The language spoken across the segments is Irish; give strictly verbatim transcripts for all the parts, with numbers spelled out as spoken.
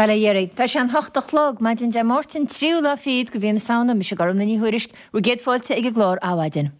Bail ó Dhia oraibh. Tá sé an hocht a chlog, maidin Dé Máirt an tríú lá fichead de mhí na Samhna, mise Gormfhlaith Ní Thuairisg, bhur gcéad fáilte ag an gclár Adhmhaidin.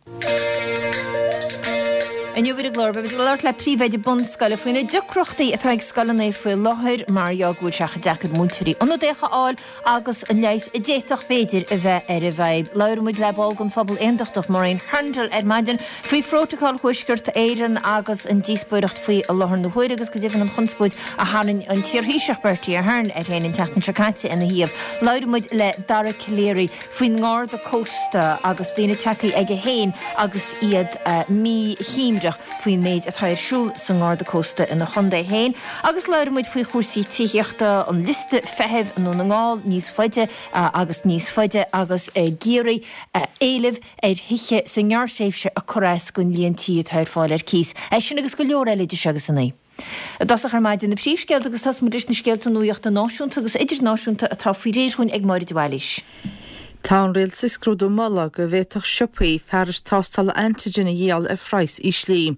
Inniu ar an gclár beimid ag labhairt le príomhoide bunscoile faoi na deacrachtaí atá ag scoileanna faoi láthair mar gheall go bhfuil sé chomh deacair múinteoirí ionadaíocha a fháil agus an leigheas a d'fhéadfadh b'fhéidir a bheith ar an bhfadhb. Labhróidh muid le ball den phobal aondachtach Maureen Hurndall ar maidin faoi Phrótacal Thuaisceart Éireann agus an díospóireacht faoi i láthair na huaire agus go deimhin an chonspóid a tharraing an t-iarThaoiseach Bertie Ahern air féin an tseachtain seo caite ina thaobh. Labhróidh muid le Dara Calleary faoin nGarda Cósta agus daoine tagtha aige féin agus iad míshuaimhneach faoin méid atá ar siúl sa nGarda Cósta ina chontae féin. Agus labhróidh muid faoi chúrsaí tithíochta, an liosta feithimh i nDún na nGall níos faide agus níos faide agus ag iarraidh éileamh ar thithe sa ngearrthréimhse a cur as don líon tí atá ar fáil ar cíos. É sin agus go leor eile idir seo agus a naoi. I dtosach ar maidin na príomhscéalta agus tosóidh muid leis na scéalta nuachta náisiúnta agus idirnáisiúnta atá faoi réir dhúinn ag Máire de Bhailís. Tá an rialtas ag scrúdú moladh go bhféadfadh siopaí fearais tástála antigen a dhíol ar phraghas íslí.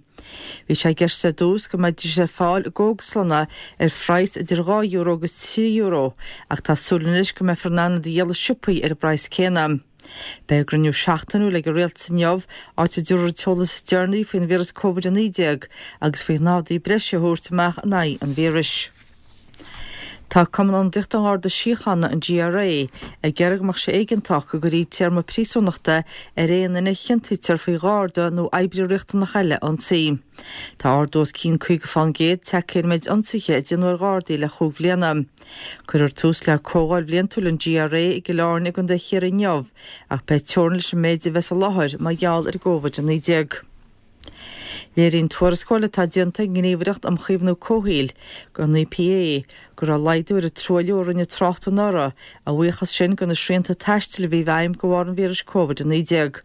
Bhí sé i gceist ar dtús go mbeidís ar fáil i gcógaslanna ar phraghas idir dhá euro agus trí euro ach tá súil anois go mbeifear in ann iad a dhíol i siopaí ar an bpraghas céanna. Beidh a gcruinniú seachtainiúil ag an rialtas inniu, áit a dtabharfar an t-eolas is deireanaí faoin víreas Covid a naoi déag agus faoi naimhde breise a thabhairt amach in aghaidh an víris. Tá Cumann Ionadaíochta an Gharda Síochána, an GRA, ag iarraidh go mbeadh sé éigeantach go gcuirfí téarma príosúnachta ar aon duine a chiontaítear faoi gharda nó oibrí riachtanach eile a ionsaí. Tá ardú os cionn caoga fán gcéad tagtha ar an méid ionsaithe a déanadh ar ghardaí le chúig bhliana. Cuirfear tús le comhdháil bhliantúil an GRA i gCill Airne i gContae Chiarraí inniu ach beidh teorainn leis an méid a bheas i láthair mar gheall ar an gCóivid a naoi déag. Léiríonn tuarascáil atá déanta ag an nGníomhaireacht um Chaomhnú Comhshaoil, an EPA, go raibh laghdú ar an truailliú a rinne trácht anuraidh, a bhuíochas sin do na srianta taistil a bhí i bhfeidhm de bharr an víris Covid a naoi déag.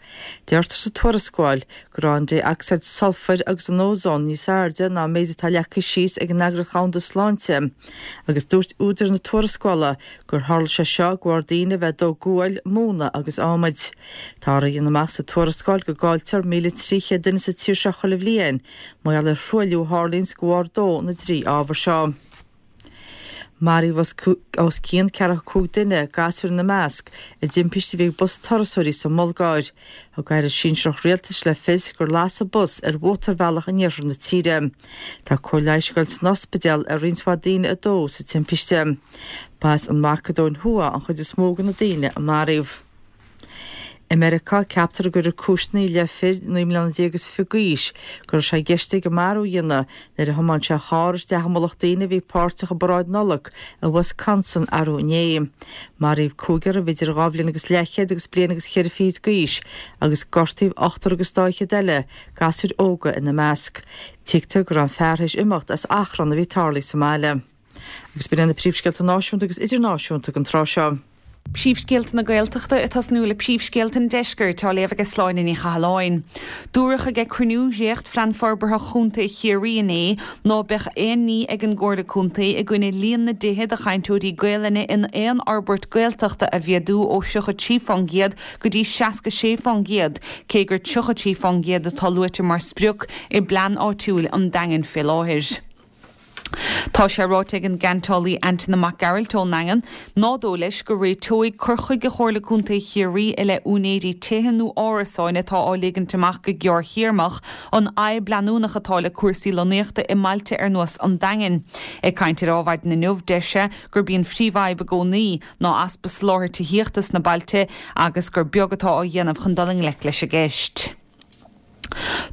Deirtear sa tuarascáil go raibh an dé-ocsaíd sulfair agus an ózón níos airde ná an méid atá leagtha síos ag an Eagraíocht Dhomhanda Sláinte agus dúirt údair na tuarascála gur tharla sé seo de bharr daoine a bheith ag dó guail, móna agus adhmaid. Táthar a dhéanamh amach sa tuarascáil go gcailltear míle trí chéad duine sa tír seo chuile bhliain mar gheall ar thruailliú a tharlaíonns de bharr dó na dtrí ábhar seo. Maraíodh os cionn ceathracha cúig duine, gasúir ina measc, i dtimpiste a bhí ag bus turasóirí sa mBulgáir. Thug aire sinsearach rialtais le fios gur lasadh bus ar mhótarbhealach in iarthar na tíre. Tá cóir leighis ag dul san ospidéal ar roinnt mhaith daoine a dódh sa timpiste. Ba as an Macadóin Thuaidh an chuid is mó de na daoine a maraíodh. I Meiriceá, ceaptar go gcuirfear cúiseanna i leith fir naoi mbliana déag is fiche d'aois go raibh sé i gceist aige marú a dhéanamh nuair a thiomáin sé a charr isteach i mullach daoine a bhí páirteach i bparáid Nollag i Wisconsin arú inné. Maraíodh cúigear a bhí idir dhá bhliain agus leathchéad agus bliain agus cheithre fichid d'aois agus gortaíodh ochtar agus dá fhichead eile, gasúir óga ina measc. Tuigtear go raibh an fear théis imeacht as achrann a bhí tarlaithe sa mbaile. Agus b'in iad na príomhscéalta náisiúnta agus idirnáisiúnta don tráth seo. Príomhscéalta na Gaeltachta ag tosnú le príomhscéalta an Deiscirt á léamh ag Sláine Ní Chathalláin. Dúradh ag cruinniú dhréacht-Phlean Forbartha Chontae Chiarraí inné ná beadh aon ní ag an gComhairle Contae i gcoinne líon na dtithe do chainteoirí Gaelainne in aon fhorbairt Gaeltachta a mhéadú ó tríocha trí fán gcéad go dtí seasca sé fán gcéad, cé gur tríocha trí fán gcéad atá luaite mar sprioc i bplean áitiúil an Daingin fé láthair. Tá sé ráite ag an gceantálaí Antaine Mac Gearailt ón nDaingean ná dóigh leis go réiteoidh cur chuige Chomhairle Contae Chiarraí i leith úinéirí tithe nó árasáin atá á ligint amach go gearrthéarmach an fhadhb leanúnach atá le cúrsaí lonnaíochta i mbailte ar nós an Daingin. Ag caint ar Adhmhaidin inniu, deir sé gurb í an phríomhfhadhb i gcónaí ná easpa soláthair tithíochta sna bailte agus gur beag atá á dhéanamh chun dul i ngleic leis an gceist.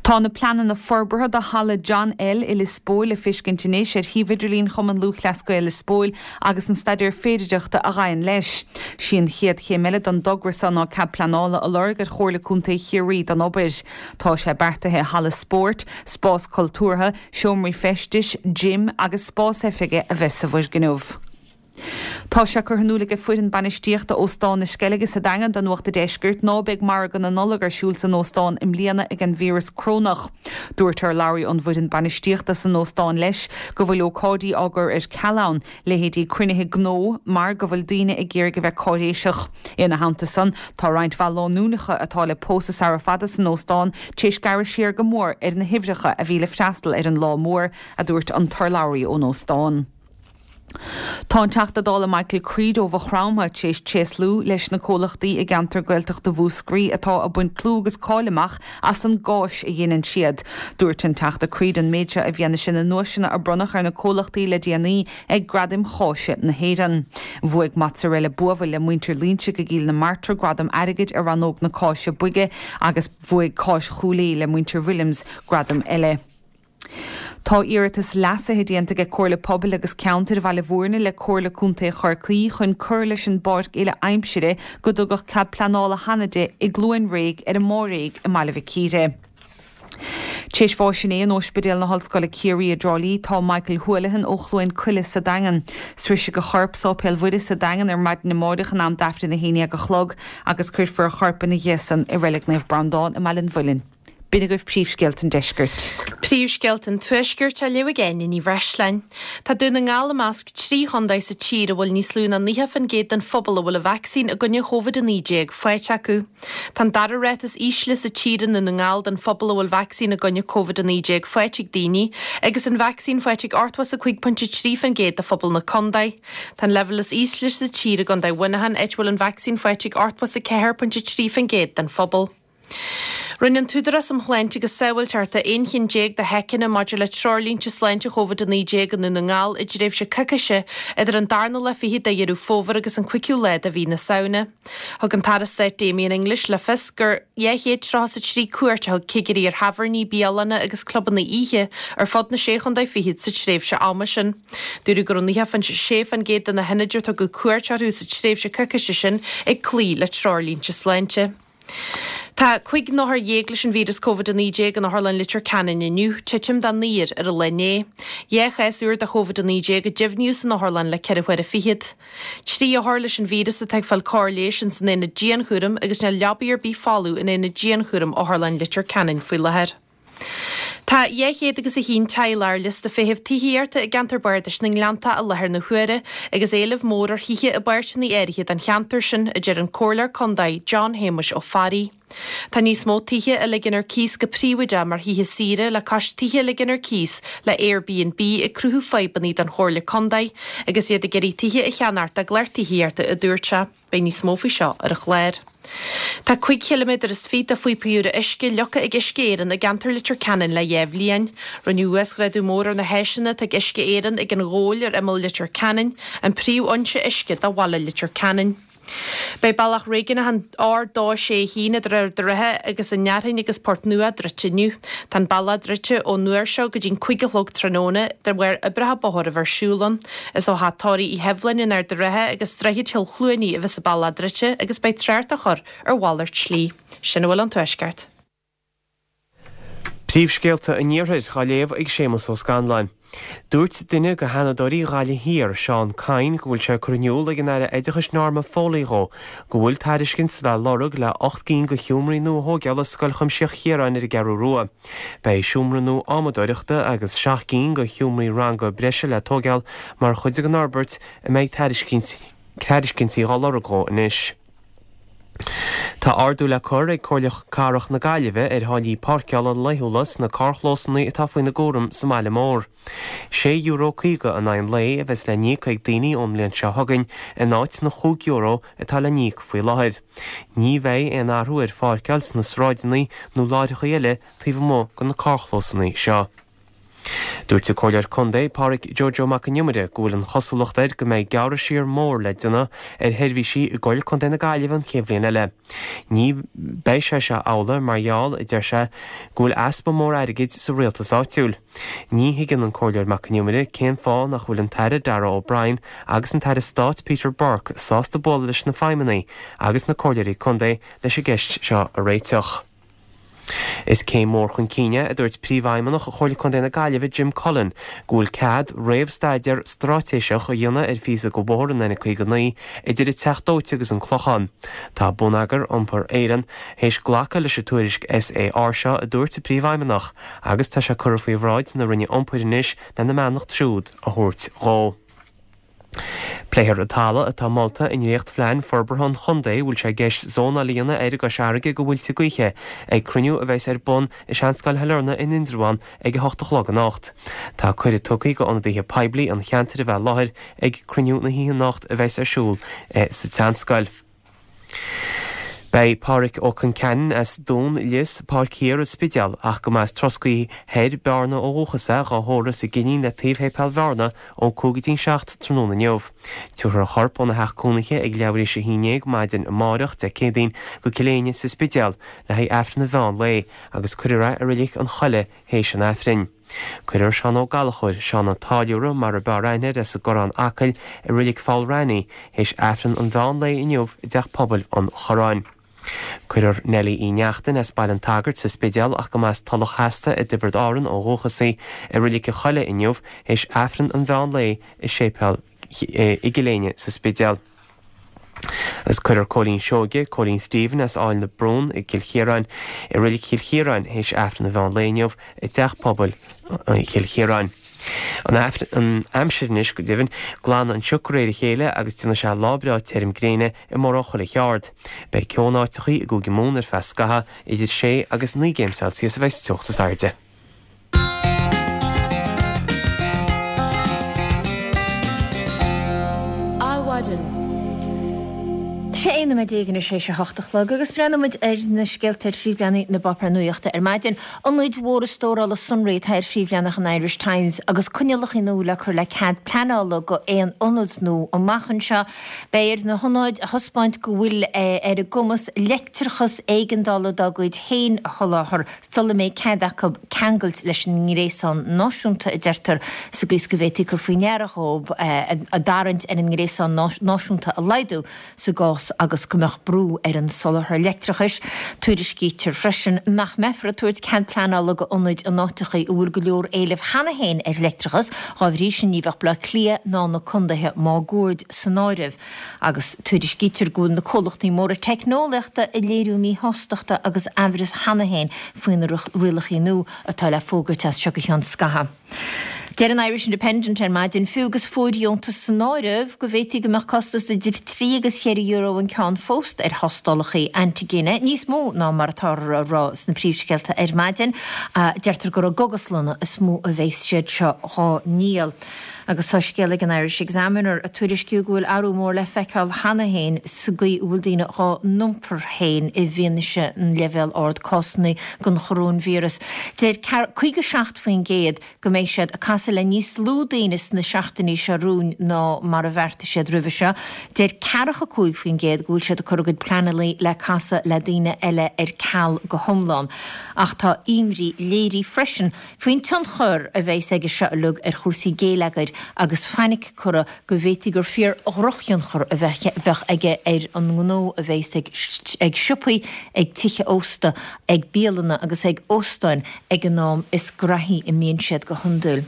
Tá na pleananna forbartha do Halla John L i Lios Póil le feiscint anois ar shuíomh idirlín Chumann Lúthchleas Gael Lios Póil agus an staidéar féidearthachta a ghabhann leis. Sí an chéad chéim eile don dtogra seo ná cead pleanála a lorg ar Chomhairle Contae Chiarraí don obair. Tá sé beartaithe halla spóirt, spás cultúrtha, seomraí feistis, gym agus spás oifige a bheith sa bhfoirgneamh. Tá sé curtha in iúl ag foireann bainistíochta Óstán na Sceilge sa Daingean do Nuacht an Deiscirt ná beidh margadh na Nollag ar siúl san óstán i mbliana ag an víreas crónach. Dúirt urlabhraí ón bhfoireann bainistíochta san óstán leis go bhfuil ócáidí á gcur ar ceal ann, leithéidí cruinnithe gnó, mar go bhfuil daoine ag iarraidh a bheith cáiréiseach. Ina theannta san, tá roinnt mhaith lánúineacha atá le pósadh sara fada san óstán tar éis gearradh siar go mór ar na huimhreacha a bhí le freastal ar an lá mór, a dúirt an t-urlabhraí ón óstán. Tá an Teachta Dála Michael Creed ó Mhaigh Chromtha tar éis tréaslú leis na comhlachtaí i gceantar Gaeltachta Mhúscraí atá ag baint clú agus cáil amach as an gcáis a dhéanann siad. Dúirt an Teachta Creed an méid seo i bhfianaise na nduaiseanna a bronnadh ar na comhlachtaí le déanaí ag Gradaim Cháise na hÉireann. Bhuaigh Mozzarella Buabhaill le muintir Loinsigh i gCill na Martra gradam airgid i rannóg na cáise boige agus bhuaigh Cáis Chúil Aodha le muintir Williams gradam eile. Tá iarratas leasaithe déanta ag Comhairle Pobail agus Ceantair Bhaile Bhúirne le Comhairle Contae Chorcaí chun cur leis an bpáirc uile aimsire go dtugadh cead pleanála cheana di i gCluain Réidh ar an Máiréig i mBaile Mhic Íre. Tar éis bháis inné in Ospidéal na hOllscoile Ciarraí i dTrá Lí tá Michael Houlihan ó Chluain Coille sa Daingean. Sroisfidh a chorp Sáipéal Mhuire sa Daingean ar maidin amárach in am d'Aifreann a haon déag a chlog agus cuirfear a chorp ina dhiaidh san i Reilig Naomh Breandán i mBaile an Mhuilinn. B'in agaibh príomhscéalta an deiscirt. Príomhscéalta an Tuaiscirt á léamh ag Áine Ní Bhreisleáin. Tá Dún na nGall i measc trí chontae sa tír a bhfuil níos lú ná naocha faoin gcéad den phobal a bhfuil an vacsaín i gcoinne Covid a naoi déag faighte acu. Tá an dara ráta is ísle sa tír i nDún na nGall den phobal a bhfuil vacsaín i gcoinne Covid a naoi déag faighte ag daoine, agus an vacsaín faighte ag ochtó is a cúig pointe trí faoin gcéad de phobal na contae. Tá an leibhéal is ísle sa tír i gContae Mhuineacháin, áit a bhfuil an vacsaín faighte ag ochtó is a ceathair pointe trí faoin gcéad den phobal. Rinne an tÚdarás um Shláinte agus Sábháilteacht aon cheann déag de sheiceanna maidir le treoirlínte sláinte Covid a naoi déag i nDún na nGall i dtréimhse coicíse idir an darna lá fichead de Dheireadh Fómhair agus an cúigiú lá de mhí na Samhna. Thug an tAire Stáit Damien English le fios gur dhá chéad tríocha is a trí cuairt a thug cigirí ar thábhairní, bialanna agus clubanna oíche ar fud na sé chontae fichead sa tréimhse ama sin. Dúradh go raibh naocha sé faoin gcéad de na hionaid ar tugadh cuairt orthu sa tréimhse coicíse sin ag cloí le treoirlínte sláinte. Tá cúig n-othar dhéag leis an víreas Covid a naoi déag in Otharlann Leitir Ceanainn inniu, titim de naonúr ar an lá inné. Dhá chás úr de Covid a naoi déag a deimhníodh san otharlann le ceithre huaire fichead. Trí othar leis an víreas atá ag fáil cóir leighis ins an aonad dianchúraim agus níl leabaí ar bith folamh in aonad dianchúraim Otharlann Leitir Ceanainn faoi láthair. Tá dhá chéad agus a haon teaghlach ar liosta feithimh tithíochta i gceantar Bardais na nGleannta i láthair na huaire agus éileamh mór ar thithe i bpáirteanna áirithe den cheantar sin, a deir an Comhairleoir Contae John Shéamuis Ó Fearraigh. Tá níos mó tithe á ligean ar cíos go príobháideach mar thithe saoire le cois tithe a ligean ar cíos le Airbnb ag cruthú fadhbanna don Chomhairle Contae agus iad ag iarraidh tithe a cheannacht dá gclár tithíochta, a dúirt sé. Beidh níos mó faoi seo ar an chlár. Tá cúig chiliméadar is fiche de phíopaí úra uisce leagtha ag Uisce Éireann i gceantar Leitir Ceanainn le dhá bhliain. Rinneadh uasghrádú mór ar na háiseanna atá ag Uisce Éireann ag an Ghabhal ar imeall Leitir Ceanainn, an príomhfhoinse uisce do bhaile Leitir Ceanainn. Beidh bealach réigiúnach an R dó sé haon idir Ard an Rátha agus an Fhearthainn agus Port Nua druidte inniu. Tá an bealach druidte ón uair seo go dtí'n cúig a chlog tráthnóna de bharr oibreacha bóthair a bheith ar siúl ann. Is ó Theach Tórraimh Uí Sheibhleáin in Ard an Rátha agus Droichead Chill Chluanaí a bheas an bealach druidte agus beidh trácht á chur ar mhalairt slí. Sin a bhfuil ón Tuaisceart. Príomhscéalta an Iarthair á léamh ag Séamus Ó Scanláin. Dúirt duine de Sheanadóirí Ghaillimh Thiar, Seán Kyne, go bhfuil sé curtha in iúl ag an Aire Oideachais Norma Foley dhó go bhfuil tairiscint le lorg le ocht gcinn de sheomraí nua a thógáil i Scoil Chuimsitheach Chiaráin ar an gCeathrú Rua. Beidh seomra nua adhmadóireachta agus seacht gcinn de sheomraí ranga breise le tógáil mar chuid den fhorbairt a mbeidh tairiscintí á lorg dhó anois. Tá ardú le cur ag Comhairle Cathrach na Gaillimhe ar tháillí páirceála laethúla sna carrchlósanna atá faoina gcúram sa mbaile mór. Sé euro caoga in aghaidh an lae a bheas le n-íoc ag daoine ón mbliain seo chugainn in áit na chúig euro atá le n-íoc faoi láthair. Ní bheidh aon athrú ar pháirceáil sna sráideanna nó láithreacha eile taobh amuigh de na carrchlósanna seo. Dúirt an Comhairleoir Contae Pádraig Joe Joe Mac an Iomaire go bhfuil an chosúlacht air go mbeidh gearradh siar mór le déanamh ar sheirbhísí i gComhairle Contae na Gaillimhe an chéad bhliain eile. Ní beidh sé seo amhlaidh mar gheall, a deir sé, go bhfuil easpa mór airgid sa rialtas áitiúil. Ní thuigeann an Comhairleoir Mac an Iomaire cén fáth nach bhfuil an tAire Darragh O'Brien agus an tAire Stáit Peter Burke sásta bualadh leis na feidhmeannaigh agus na comhairleoirí contae leis an gceist seo a réiteach. Is céim mhór chun cinn é, a dúirt Príomhfheidhmeannach Chomhairle Contae na Gaillimhe Jim Cullen, go bhfuil cead réamhstaidéar straitéiseach a dhéanamh ar phíosa de bhóthar an N caoga naoi idir an Teach Dóite agus an Clochán. Tá Bonneagar Iompair Éireann théis glacadh leis an tuairisc S A R seo, a dúirt an Príomhfheidhmeannach, agus tá sé curtha faoi bhráid na Roinne Iompair anois lena mbeannacht siúd a thabhairt dhó. Pléifear an talamh atá molta i ndréachtphlean forbartha an chontae a bhfuil sé i gceist zónáil a dhéanamh air i gCois Fharraige go mhuilte gaoithe ag cruinniú a bheas ar bun i Seanscoil Shailearna in Indreabhán ag a hocht a chlog anocht. Tá cuireadh tugtha go ionadaithe poiblí an cheantair a bheith i láthair ag cruinniú na hoíche anocht a bheas ar siúl sa tSeanscoil. Beidh Pádhraic Ó Concheanainn as Dún Lios, Páirc Thiar, An Spidéal, ach go mba as Troscaí Thoir, Bearna ó dhúchas é, dhá thórramh sa gCinnín le taobh Shéipéal Bhearna ó cúig go dtí an seacht tráthnóna inniu. Tabharfar a chorp óna theach cónaithe ag leathuair théis a haon déag maidin amárach, Dé Céadaoin, go Cill Éinne sa Spidéal le haghaidh Aifreann an mheán lae agus cuirfear é i Reilig an Choilligh théis an Aifrinn. Cuirfear Seán Ó Gallchóir, Seán an Táilliúra mar a b'fhearr aithne air as an gCorrán, Acaill, i Reilig Pholl Raithní théis Aifreann an mheán lae inniu i dTeach Pobail an Chorráin. Cuirfear Nellie Uí Neachtain as Baile an tSagairt sa Spidéal ach go mba as Tulach Theasta i dTiobraid Árann ó dhúchas í, i Reilig an Choilligh inniu théis Aifreann an mheán lae i Séipéal i gCill Éinne sa Spidéal. Agus cuirfear Cóilín Seoige, Cóilín Stephen as Áill na Brún i gCill Chiaráin, i Reilig Chill Chiaráin théis Aifreann an mheán lae inniu i dTeach Pobail Chill Chiaráin. An aimsir anois, go deimhin, glanfaidh an sioc de réir a chéile agus déanfaidh sé lá breá tirim gréine i mórán chuile cheard. Beidh ceo in áiteachaí i gCúige Mumhan ar feadh scathaimh, idir sé agus naoi gcéim Celsius a bheidh sa teocht is airde. Adhmhaidin. Sé aon nóiméad déag anois théis a hocht a chlog agus breathnóidh muid ar na scéalta ar phríomhleathanaigh na bpáipéar nuachta ar maidin. Ionaid mhóra stórála sonraí atá ar phríomhleathanach an Irish Times agus coinníollacha nua le cur le cead pleanála go aon ionad nua amach anseo. Beidh ar na hionaid a thaispeáint go bhfuil ar a gcumas leictreachas éigeandála dá gcuid féin a sholáthar sula mbeidh cead acu ceangailt leis an ngréasán náisiúnta, a deirtear, sa gcaoi is go bhféadfaí cur faoi ndeara dhóibh a dtarraingt ar an ngréasán náisiúnta a laghdú sa gcás agus go mbeadh brú ar an soláthar leictreachais. Tuairiscítear freisin nach mbeifear ag tabhairt cead pleanála go ionaid in áiteachaí a bhfuil go leor éilimh cheana féin ar leictreachas, dhá bhrí sin ní bheadh Baile Átha Cliath ná na condaetha máguaird san áireamh. Agus tuairiscítear go bhfuil na comhlachtaí móra teicneolaíochta ag léiriú míshástachta agus aimhreas cheana féin faoi na rialachaí nua atá le fógairt as seo go ceann scaithimh. Deir an Irish Independent ar maidin, fiú agus fóirdheontas san áireamh, go bhféadfaí go mbeadh costas idir trí agus cheithre euro an ceann fós ar thástálacha antaigine, níos mó ná mar atáthar á rá sna príomhscéalta ar maidin. Deirtear gur i gcógaslanna is mó a bheas siad seo dhá ndíol. Agus tá scéal ag an Irish Examiner ag tuairisciú go bhfuil athrú mór le feiceáil cheana féin sa gcaoi a bhfuil daoine dhá n-iompar féin i bhfianaise an leibhéal ard cásanna den choróinvíreas. Deir caoga seacht faoin gcéad go mbeidh siad ag casadh le níos lú daoine sna seachtainí seo romhainn ná mar a bheartaigh siad roimhe seo. Deir ceathracha cúig faoin gcéad go bhfuil siad ag cur a gcuid pleananna le casadh le daoine eile ar ceal go hiomlán. Ach tá imní léirithe freisin faoin tionchar a bheas aige seo uilig ar chúrsaí géilleagair agus fainic curtha go bhféadfaí gur fíor-dhrochthionchar a bheadh aige ar an ngnó a bheas ag siopaí, ag tithe ósta, ag bialanna agus ag óstáin ag an am is graithí a mbíonn siad go hiondúil.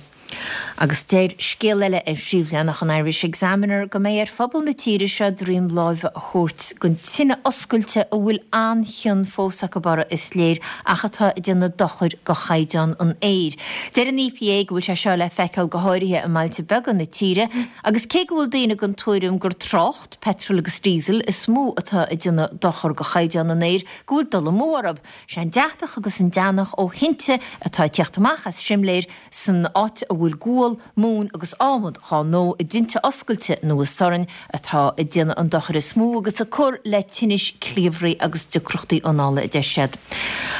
Agus deir scéal eile ar phríomhleathanach an Irish Examiner go mbeidh ar phobal na tíre seo droim láimhe a thabhairt don tine oscailte a bhfuil an-chion fós acu uirthi is léir ach atá ag déanamh dochair go chaighdeán an aeir. Deir an E P A go bhfuil sé seo le feiceáil go háirithe i mbailte beaga na tíre agus cé go bhfuil daoine den tuairim gur trácht, petrol agus diesel is mó atá ag déanamh dochar go chaighdeán an aeir, go bhfuil dul amú orthu. Sé an deatach agus an deannach ó thinte atá ag teacht amach as simléir san áit a bhfuil gual, móin agus adhmad dhá ndó i dtinte oscailte nó i sorn atá ag déanamh an dochair is mó agus ag cur le tinnis cliabhraí agus deacrachtaí anála, a deir siad.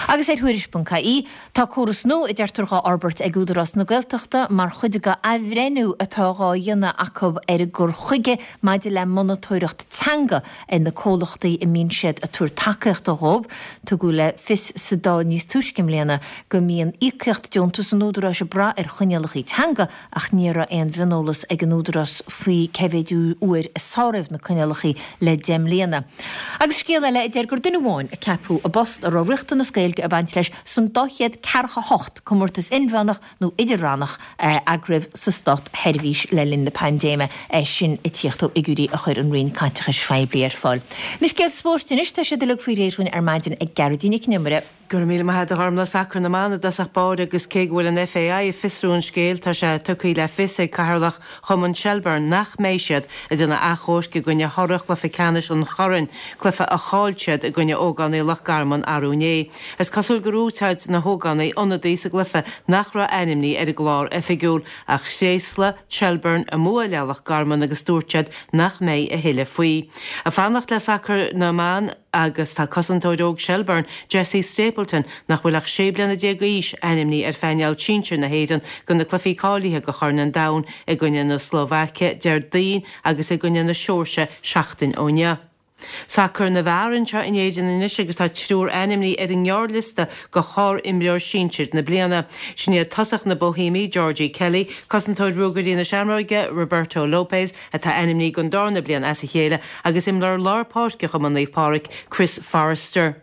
Agus ar Thuairisc ponc I E, tá córas nua a deirtear dhá fhorbairt ag Údarás na Gaeltachta mar chuid de athbhreithniú atá dhá dhéanamh acu ar a gcur chuige maidir le monatóireacht teanga ar na comhlachtaí a mbíonn siad ag tabhairt tacaíochta dhóibh. Tugadh le fios sa Dáil níos túisce i mbliana go mbíonn íocaíocht deontas an Údaráis ag brath ar choinníollacha teanga ach ní raibh aon mhioneolas ag an Údarás faoi cé mhéad uair a sáraíodh na coinníollacha le deich mbliana. Agus scéal eile a deir gur duine amháin a ceapadh i bpost a raibh riachtanas Gaeilge ag baint leis san dá chéad ceathracha hocht comórtas inmheánach nó idir-rannach a eagraíodh sa státsheirbhís le linn na paindéime, é sin ag tíocht ó fhigiúirí a chuir an Roinn Caiteachais Phoiblí ar fáil. Na scéalta spóirt anois, tá siad uilig faoi réir dhúinn ar maidin ag Gearóidín Nic an Iomaire. Go raibh míle maith agat a Ghormlaith. Sacar na mban i dtosach báire agus cé go bhfuil an FAI ag fiosrú an scéil, tá sé tugtha le fios ag Cathaoirleach Chumann Shelbourne nach mbeidh siad ag déanamh achomhairc i gcoinne thoradh chluiche ceannais an Choirn, cluiche a chaill siad i gcoinne ógánaigh Loch Garman arú inné. Is cosúil gur úsáid na hógánaigh ionadaí sa gcluiche nach raibh ainmnithe ar an gclár oifigiúil, ach thréaslaigh Shelbourne a mbua le Loch Garman agus dúirt siad nach mbeidh a thuilleadh faoi. Ag fanacht le sacar na mban agus tá cosantóir óg Shelbourne, Jessie Stapleton, nach bhfuil ach sé bliana déag d'aois, ainmnithe ar phainéal sinsir na hÉireann do na cluichí cáilithe do Chorn an Domhain i gcoinne na Slóvaice Déardaoin agus i gcoinne na Seoirsia seachtain ó inniu. Sacar na bhfear anseo in Éirinn anois agus tá triúr ainmnithe ar an ngearrliosta do shár-imreoir sinsir na bliana. Sin iad tosach na Boihéimí, Georgie Kelly, cosantóir Ruagairí na Seamróige, Roberto Lopes, atá ainmnithe don darna bliain as a chéile, agus imreoir lár páirce Chumann Naomh Pádraig, Chris Forrester.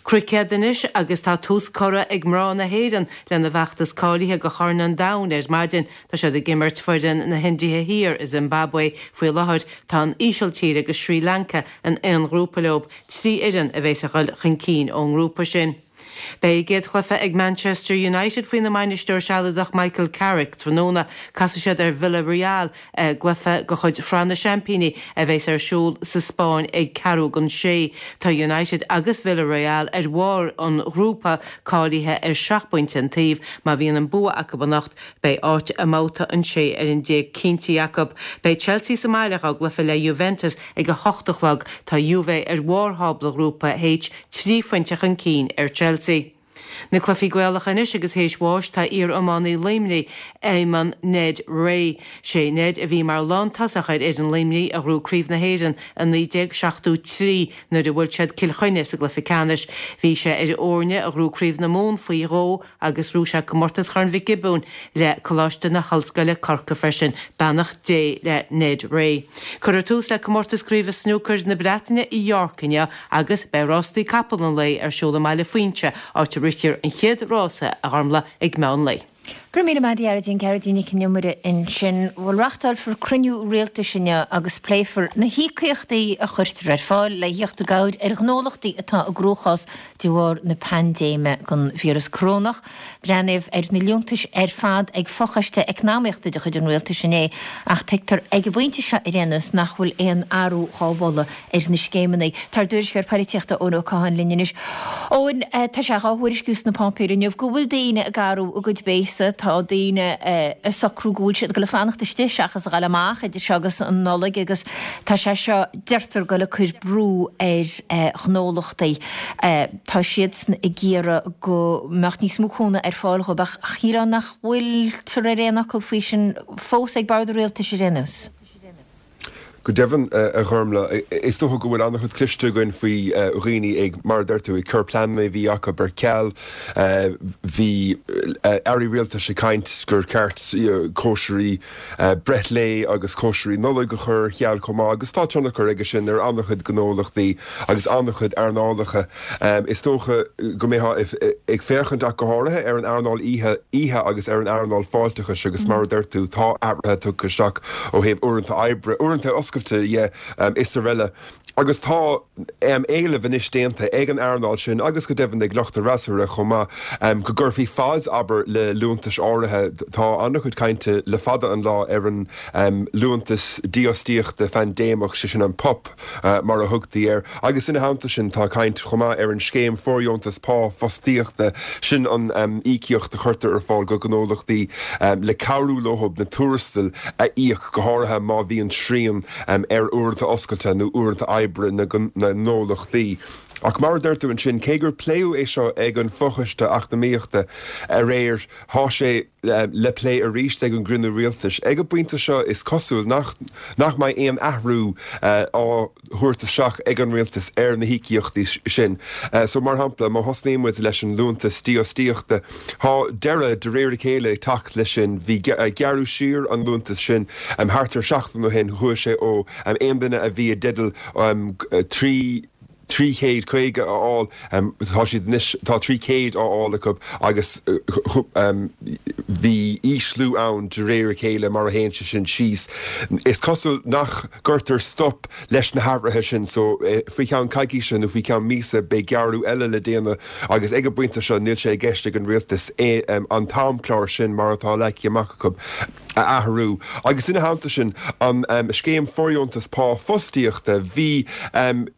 Cruicéad anois agus tá tús curtha ag mná na hÉireann lena bhfeachtas cáilithe do Chorn an Domhain ar maidin. Tá siad ag imirt foireann na hIndia Thiar i Zimbabwe faoi láthair. Tá an Ísiltír agus Srí Lanca in aon ghrúpa leo, trí fhoireann a bheas ag dul chun cinn ón ngrúpa sin. Beidh a gcéad chluiche ag Manchester United faoina mbainisteoir sealadach Michael Carrick tráthnóna. Casfaidh siad ar Villarreal i gcluiche de chuid Shraith na Seaimpíní a bheas ar siúl sa Spáinn ag ceathrú don sé. Tá United agus Villarreal ar bharr an ghrúpa, cáilithe ar seacht bpointe an taobh. Má bhíonn an bua acu anocht, beidh áit i mbabhta an sé ar an déag cinntithe acu. Beidh Chelsea sa mbaile dá gcluiche le Juventus ag a hocht a chlog. Tá Juve ar bharr thábla Ghrúpa H, trí phointe chun cinn ar Chelsea. Na cluichí Gaelacha anois agus théis bháis tá iar-iománaí Luimnigh, Éamonn Ned Rea. Sé Ned a bhí mar lántosach ar fhoireann Luimnigh a ghnóthaigh Craobh na hÉireann i naoi déag seachtó trí nuair a bhuail siad Cill Chainnigh sa gcluiche ceannais. Bhí sé ar an fhoirne a ghnóthaigh Craobh na Mumhan faoi dhó agus ghnóthaigh sé Comórtas Chorn Mhic Giobúin le Coláiste na hOllscoile Corcaigh freisin. Beannacht Dé le Ned Rea. Cuirfear tús le Comórtas Craoibhe Snúcair na Breataine i York inniu agus beidh rástaí capall an lae ar siúl i mBaile Fuinse, áit a rithfear an chéad rása, a Ghormlaith, ag meán lae. Go raibh míle maith agat a Ghearóidín, Gearóidín Nic an Iomaire ansin. Bhuel, reáchtálfar cruinniú rialtais inniu agus pléifear na híocaíochtaí a chuirtear ar fáil le theacht i gcabhair ar ghnólachtaí atá i gcruachás de bharr na paindéime den víreas corónach. Breathnaíodh ar na liúntais ar fad ag fochoiste eacnamaíochta de chuid an rialtais inné ach tuigtear ag an bpointe seo ar aon nós nach bhfuil aon athrú dhá mholadh ar na scéimeanna. Tá ár dtuairisceoir polaitíochta Eoin Ó Catháin linn anois. Eoin, tá sé dhá thuairisciú sna páipéir inniu go bhfuil daoine ag athrú a gcuid béasa, tá daoine ag socrú go bhfuil siad ag dul a fanacht istigh seachas a ghabháil amach idir seo agus an Nollaig agus tá sé seo, deirtear, ag dul ag cur brú ar ghnólachtaí. Tá siadsan ag iarraidh go mbeadh níos mó cúnamh ar fáil dhóibh ach shílfeá nach bhfuiltear ar aon fhocal faoi sin fós ag bord an rialtais ar aon nós. Go deimhin, a Ghormlaith, is dócha go bhfuil an-chuid cloiste againn faoi dhaoine ag, mar a deir tú, ag cur pleananna a bhí acu ar ceal. Bhí airí rialtais ag caint gur ceart cóisirí breithlae agus cóisirí Nollag a chur ar ceal chomh maith agus tá tionchar aige sin ar an-chuid gnólachtaí agus an-chuid earnálacha. Is dócha go mbeifeá ag féachaint ach go háirithe ar an earnáil oíche agus ar an earnáil fáilteachais agus mar a deir tú tá athruithe tugtha isteach ó thaobh uaireanta oibre, uaireanta oscailte dhe is araile. Agus tá éileamh anois déanta ag an earnáil sin agus go deimhin ag lucht an fhreasúra chomh maith go gcuirfí fad, abair, le liúntais áirithe. Tá an-chuid cainte le fada an lá ar an Liúntas Dífhostaíochta Phaindéimeach, sé sin an PUP mar a thugtaí air, agus ina theannta sin tá caint chomh maith ar an Scéim Fóirdheontas Pá Fostaíochta, sin an íocaíocht a chuirtear ar fáil go gnólachtaí le cabhrú leo na tuarastail a íoc, go háirithe má bhíonn srian ar uaireanta oscailte nó uaireanta oibre na ngnólachtaí. Ach mar a deir tú ansin, cé gur pléadh é seo ag an Fochoiste Eacnamaíochta aréir, tá sé le plé arís ag an gcruinniú rialtais. Ag an bpointe seo is cosúil nach nach mbeidh aon athrú á thabhairt isteach ag an rialtas ar na híocaíochtaí sin. So mar shampla, má thosnaíonn muid leis an liúntas dífhostaíochta, tá deireadh de réir a chéile ag teacht leis sin. Bhí gearradh siar an liúntas sin thart ar seachtain ó shin, chuaigh sé ó aon duine a bhí i dteideal trí, trí chéad caoga a fháil, tá siad anois, tá trí chéad á fháil acu agus bhí ísliú ann de réir a chéile mar a théann sé sin síos. Is cosúil nach gcuirtear stop leis na hathruithe sin so faoi cheann coicíse nó faoi cheann míosa beidh gearradh eile le déanamh agus ag an bpointe seo níl sé i gceist ag an rialtas an t-amchlár sin mar atá leagtha amach acu a athrú. Agus ina theannta sin, an scéim fóirdheontas pá fostaíochta, bhí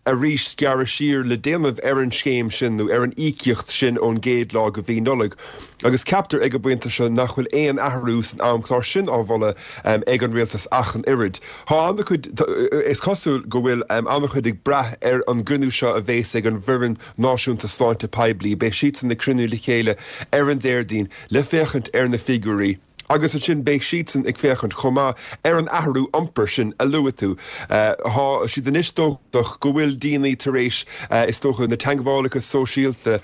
arís gearradh siar le déanamh ar an scéim sin nó ar an íocaíocht sin ón gcéad lá de mhí Nollag. Agus ceaptar ag an bpointe seo nach bhfuil aon athrú san amchlár sin á mholadh ag an rialtas ach an oiread. Tá an-chuid, is cosúil go bhfuil an-chuid ag brath ar an gcruinniú seo a bheas ag an bhFoireann Náisiúnta Sláinte Poiblí. Beidh siadsan ag cruinniú le chéile ar an Déardaoin le féachaint ar na figiúirí agus ansin beidh siadsan ag féachaint chomh maith ar an athrú iompair sin a luaigh tú. Tá siad anois dóchasach go bhfuil daoine tar éis, is dócha, na teagmhálacha sóisialta,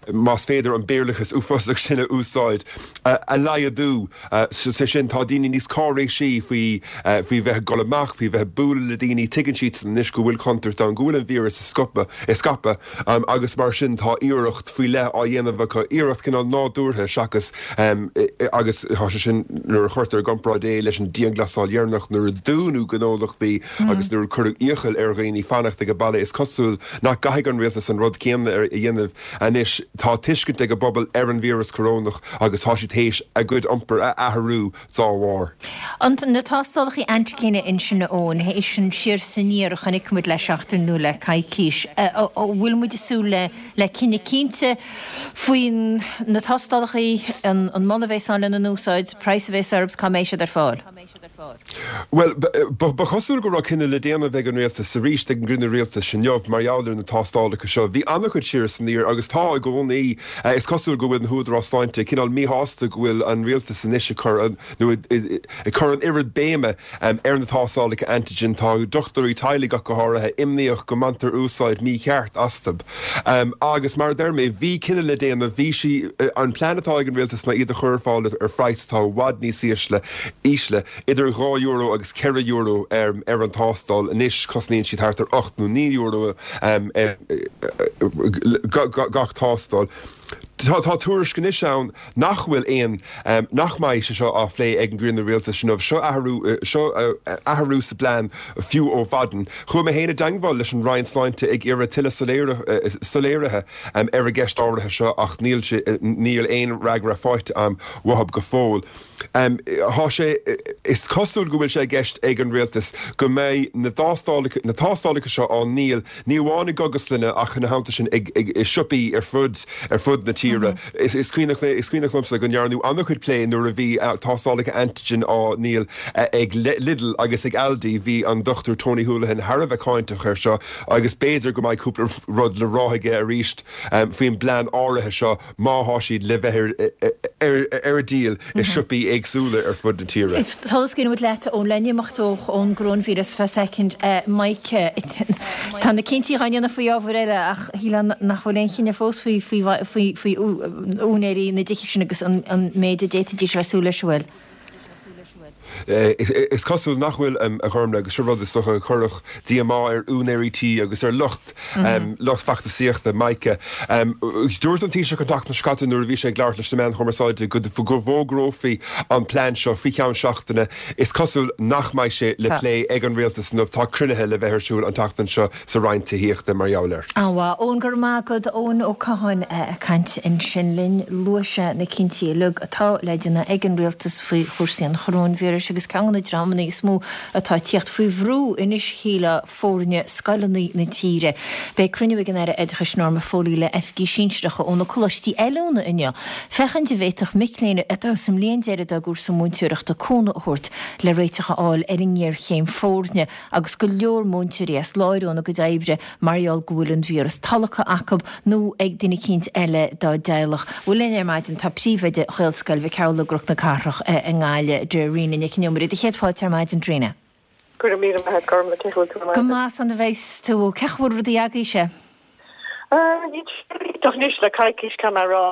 más féidir an béarlachas uafásach sin a úsáid, a laghdú. Sé sin, tá daoine níos cáiréisí faoi faoi bheith ag dul amach, faoi bheith ag bualadh le daoine. Tuigeann siadsan anois go bhfuil contúirt ann, go bhfuil an víreas ag scaipeadh agus mar sin tá iarracht faoi leith á dhéanamh acu, iarracht cineál nádúrtha seachas agus tá sé sin nuair a chuirtear i gcomparáid é leis an dianghlasáil dheireanach nuair a dúnadh gnólachtaí agus nuair a cuireadh iachall ar dhaoine fanacht ag baile. Is cosúil nach gcaithfidh an rialtas an rud céanna a dhéanamh anois. Tá tuiscint ag an bpobal ar an víreas corónach agus tá siad théis a gcuid iompair a athrú dá bharr. Na tástálacha antaigine ansin a Eoin, théis an siar is aniar a chonaic muid le seachtain nó le coicís, an bhfuil muid ag súil le le cinneadh cinnte faoi na tástálacha, an moladh a bheas ann lena n-úsáid, praghas a bheas orthu, cá mbeidh siad ar fáil? Bhuel, ba chosúil go raibh cinneadh le déanamh ag an rialtas arís ag an gcruinniú rialtais inniu mar gheall ar na tástálacha seo. Bhí an-chuid siar is aniar agus tá i gcónaí. Is cosúil go bhfuil na húdaráis sláinte cineál míshásta go bhfuil an rialtas anois ag cur an, nó ag cur an oiread béime ar na tástálacha antigen. Tá dochtúirí teaghlaigh ach go háirithe imníoch go mbaintear úsáid mícheart astu. Agus mar a deir mé, bhí cinneadh le déanamh, bhí sí, an plean atá ag an rialtas ná iad a chur ar fáil ar phraghas atá i bhfad níos ísle, ísle, idir dhá euro agus ceithre euro ar an tástáil. Anois cosnaíonn siad thart ar ocht nó naoi euro gach tástáil. Tá tuairisc anois ann nach bhfuil aon, nach mbeidh sé seo á phlé ag an gcruinniú rialtais inniu. Seo athrú, seo athrú sa bplean fiú ó mhaidin. Chuaigh mé féin i dteangmháil leis an Roinn Sláinte ag iarraidh tuilleadh soiléirithe ar an gceist áirithe seo ach níl sé, níl aon fhreagra faighte agam uathu go fóill. Tá sé, is cosúil go bhfuil sé i gceist ag an rialtas go mbeidh na dtástálacha, na tástálacha seo á ndíol ní amháin i gcógaslanna ach ina theannta sin ag, ag, i siopaí ar fud, ar fud na tíre. Is cuimhneach is cuimhneach liomsa go ndearnadh an-chuid plé nuair a bhí tástálacha antigen á ndíol ag Lidl agus ag Aldi. Bhí an Dochtúir Tony Holohan thar a bheith cáinteach air seo agus b'fhéidir go mbeidh cúpla rud le rá aige arís faoin bplean áirithe seo má thá siad le bheith ar díol i siopaí éagsúla ar fud na tíre. Sula scaoileann muid leat ón le n-imeacht ón gcoróinvíreas feadh soicind, Mike, tá na cinntí á ndéanamh faoi ábhair eile ach shílfeá nach bhfuil aon chinneadh fós faoi faoi faoi úinéirí na dtithe sin agus an méid a d'fhéadfaidís a bheith ag súil leis, an bhfuil? Is cosúil nach bhfuil, a Ghormlaith, agus seo rud is dócha a chuirfeadh díomá ar úinéirí tí agus ar lucht lucht feachtasaíochta Mike. Dúirt an Taoiseach an tseachtain seo caite nuair a bhí sé ag labhairt leis na meáin chumarsáide go bhfógrófaí an plean seo faoi cheann seachtaine. Is cosúil nach mbeidh sé le plé ag an rialtas inniu. Tá cruinnithe le bheith ar siúl an tseachtain seo sa Roinn Tithíochta mar gheall air. An-mhaith. Eoin, go raibh maith agat. Eoin Ó Catháin ag caint ansin linn. Luaigh sé na cinntí uilig atá le déanamh ag an rialtas faoi chúrsaí an choróinvíris agus ceann de na dreamanna is mó atá ag tíocht faoi bhrú anois, shílfeá, foirne scoileanna na tíre. Beidh cruinniú ag an Aire Oideachais Norma Foley le oifigigh sinsearacha ó na coláistí oiliúna inniu féachaint an bhféadfadh mic léinn atá sa mbliain deiridh dá gcúrsa múinteoireachta cúnamh a thabhairt le réiteach a fháil ar an ngéarchéim foirne agus go leor múinteoirí as láthair óna gcuid oibre mar gheall go bhfuil an víreas tolgtha acu nó ag duine eicínt eile dá dteaghlach. Bhuel linn ar maidin tá príomhoide Ghaelscoil Mhic Amhlaigh i gCnoc na Cathrach i nGaillimh, Dairena Nic an Iomaire. Do chéad fáilte ar maidin, Dairena. Go raibh míle maith agat, Gormlaith, cén chaoi a bhfuil tú ar maidin? Go maith, 's an bheidh tú. Cén chaoi a bhfuil rudaí agaibhse? Níl sé iontach anois le coicís, caithfidh mé a rá.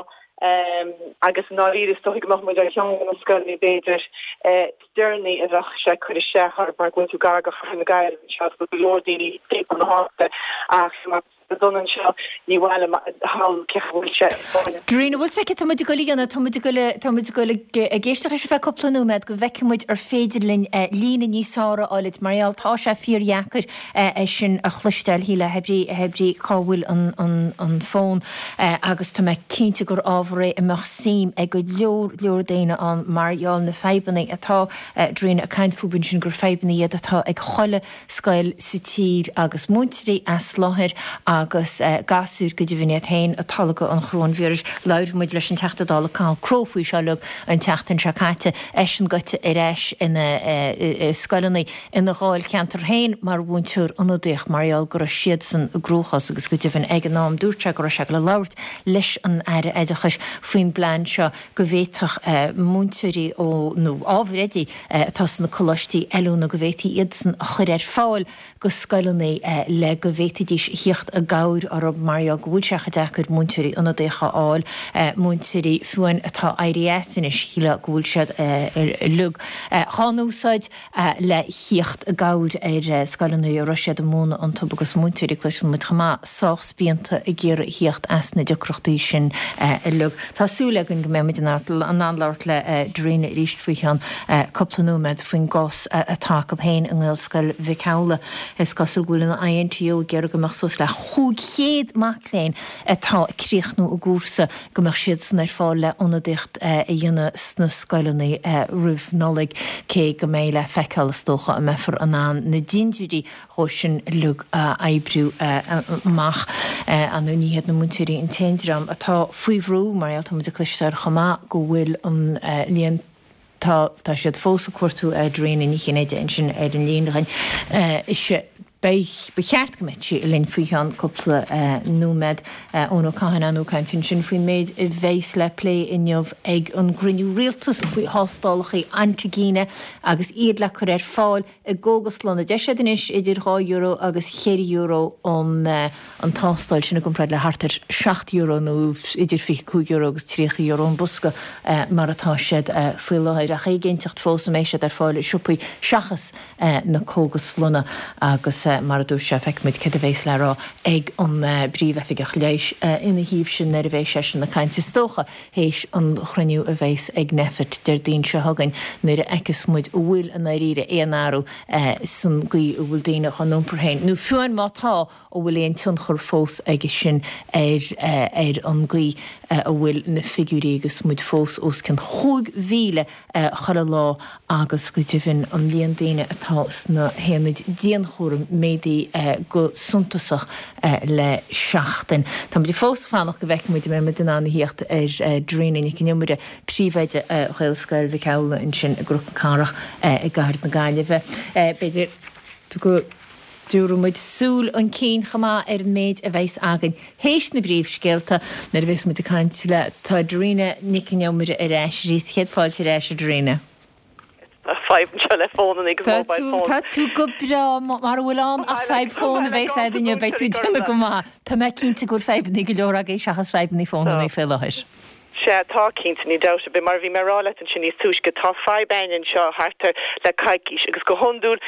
Agus i ndáiríre is dóigh go mbeadh muid ar cheann de na scoileanna b'fhéidir is deireanaí a bheadh sé ag cur isteach orthu mar go bhfuil tú gar do chathair na Gaillimhe anseo go bhfuil go leor daoine timpeall na háite ach má tá dona anseo ní mhaith liom a shamhlú cé chaoi bhfuil sé ag Darina, bhfuil sé tá muid ag goil a dhéanamh, tá muid ag goil tá muid ag goil ag éisteacht leis ar feadh cúpla nóiméad go bhfeicfidh muid ar féidir linn líne níos fearr a fháil mar gheall tá sé fíordheacair é sin a chloisteáil shíle hé brí hé brí cá bhfuil an an an fón agus tá mé cinnte gur ábhar é a mbeadh suim ag go leor leor daoine ann mar gheall na fadhbanna atá Darina ag caint fúthu ansin gur fadhbanna iad atá ag chuile scoil sa tír agus múinteoirí as láthair agus gasúir go deimhin iad féin ag tolgadh an choróinvíris. Labhair muid leis an Teachta Dála Cathal Crowe faoi seo uilig an tseachtain seo caite, eisean gaibhte ar ais ina scoileanna ina dháilcheantar féin mar mhúinteoir ionadaíoch mar gheall go raibh siadsan i gcruachás agus go deimhin ag an am dúirt sé go raibh sé ag labhairt leis an Aire Oideachais faoin bplean seo go bhféadfadh múinteoirí ó nó ábhair oidí atá sna coláistí oiliúna go bhféadfaí iadsan a chur ar fáil go scoileanna le go bhféadfaidís a thíocht i gcabhair orthu mar gheall go bhfuil sé chomh deacair múinteoirí ionadaíocha a fháil, múinteoirí fiú amháin atá éirithe as anois, shílfeá go bhfuil siad uilig dhá n-úsáid le thíocht i gcabhair ar scoileanna a raibh siad ag múineadh iontu agus múinteoirí, cloiseann muid chomh maith, sách spíonta ag iarraidh a thíocht as na deacrachtaí sin uilig. Tá súil againn go mbeidh muid in ann labhairt le Darina arís faoi cheann cúpla nóiméad faoin gcás atá acu féin i nGaelscoil Mhic Amhlaigh. Is cosúil go bhfuil an I N T U ag iarraidh go mbeadh suas le chúig chéad mac léinn atá ag críochnú a gcúrsa, go mbeadh siadsan ar fáil le ionadaíocht a dhéanamh sna scoileanna roimh Nollaig, cé go mbeidh le feiceáil is dócha an mbeifear in ann na dintiúirí dhó sin uilig a oibriú amach. Ar ndóigh ní hiad na múinteoirí an t-aon dream atá faoi bhrú, mar gheall tá muid ag cloisteáil chomh maith go bhfuil an líon Tá tá siad fós ag cuartú Darina Ní Chinnéide ansin ar an líne againn. Is ea, beidh, ba cheart go mbeadh sí linn faoi cheann cúpla nóiméad. Eoin Ó Catháin ag caint ansin faoin méid a bheas le plé inniu ag an gcruinniú rialtais faoi thástálacha antaigine agus iad le cur ar fáil i gcógaslanna. Deir siad anois idir dhá euro agus cheithre euro an an tástáil sin i gcomparáid le thart ar seacht euro nó idir fiche cúig euro agus tríocha euro an bosca mar atá siad faoi láthair. Ach éiginnteacht fós an mbeidh siad ar fáil i siopaí seachas na cógaslanna agus mar a dúirt sé feicfimid céard a bheas le rá ag an bPríomh-Oifigeach Leighis ina thaobh sin nuair a bheidh seisean ag caint is dócha théis an chruinniú a bheas ag Nphet Déardaoin seo chugainn nuair a fheicfeas muid an bhfuil i ndáiríre aon athrú san gcaoi a bhfuil daoine á n-iompar féin nó fiú amháin má tá an bhfuil aon tionchar fós aige sin ar ar an gcaoi a bhfuil na figiúirí agus muid fós os cionn chúig mhíle chuile lá agus go deimhin an líon daoine atá sna haonaid dianchúraim méadaithe go suntasach le seachtain. Tá muid fós ag fanacht go bhfeicfidh muid an mbeidh muid in ann a thíocht ar Darina Nic an Iomaire, príomhoide Ghaelscoil Mhic Amhlaigh ansin i gCnoc na Cathrach i gcathair na Gaillimhe. B'fhéidir go dtabharfaidh muid súil chun cinn chomh maith ar an méid a bheas againn théis na bpríomhscéalta nuair a bheas muid ag caint le Tá Darina Nic an Iomaire ar ais arís. Céad fáilte ar ais, a Darina. Tá fadhb anseo le fónanna agus mobile phone. Tá tú go breá mura bhfuil ann ach fadhb fón a bheas agat inniu beidh tú déanamh go maith. Tá mé cinnte go bhfuil fadhbanna go leor agaibh seachas fadhbanna fónanna faoi láthair. Sea, tá, cinnte, ní dabht ar bith. Mar a bhí mé a rá leat ansin níos túisce, tá fadhb againn anseo thart ar le coicís agus go hiondúil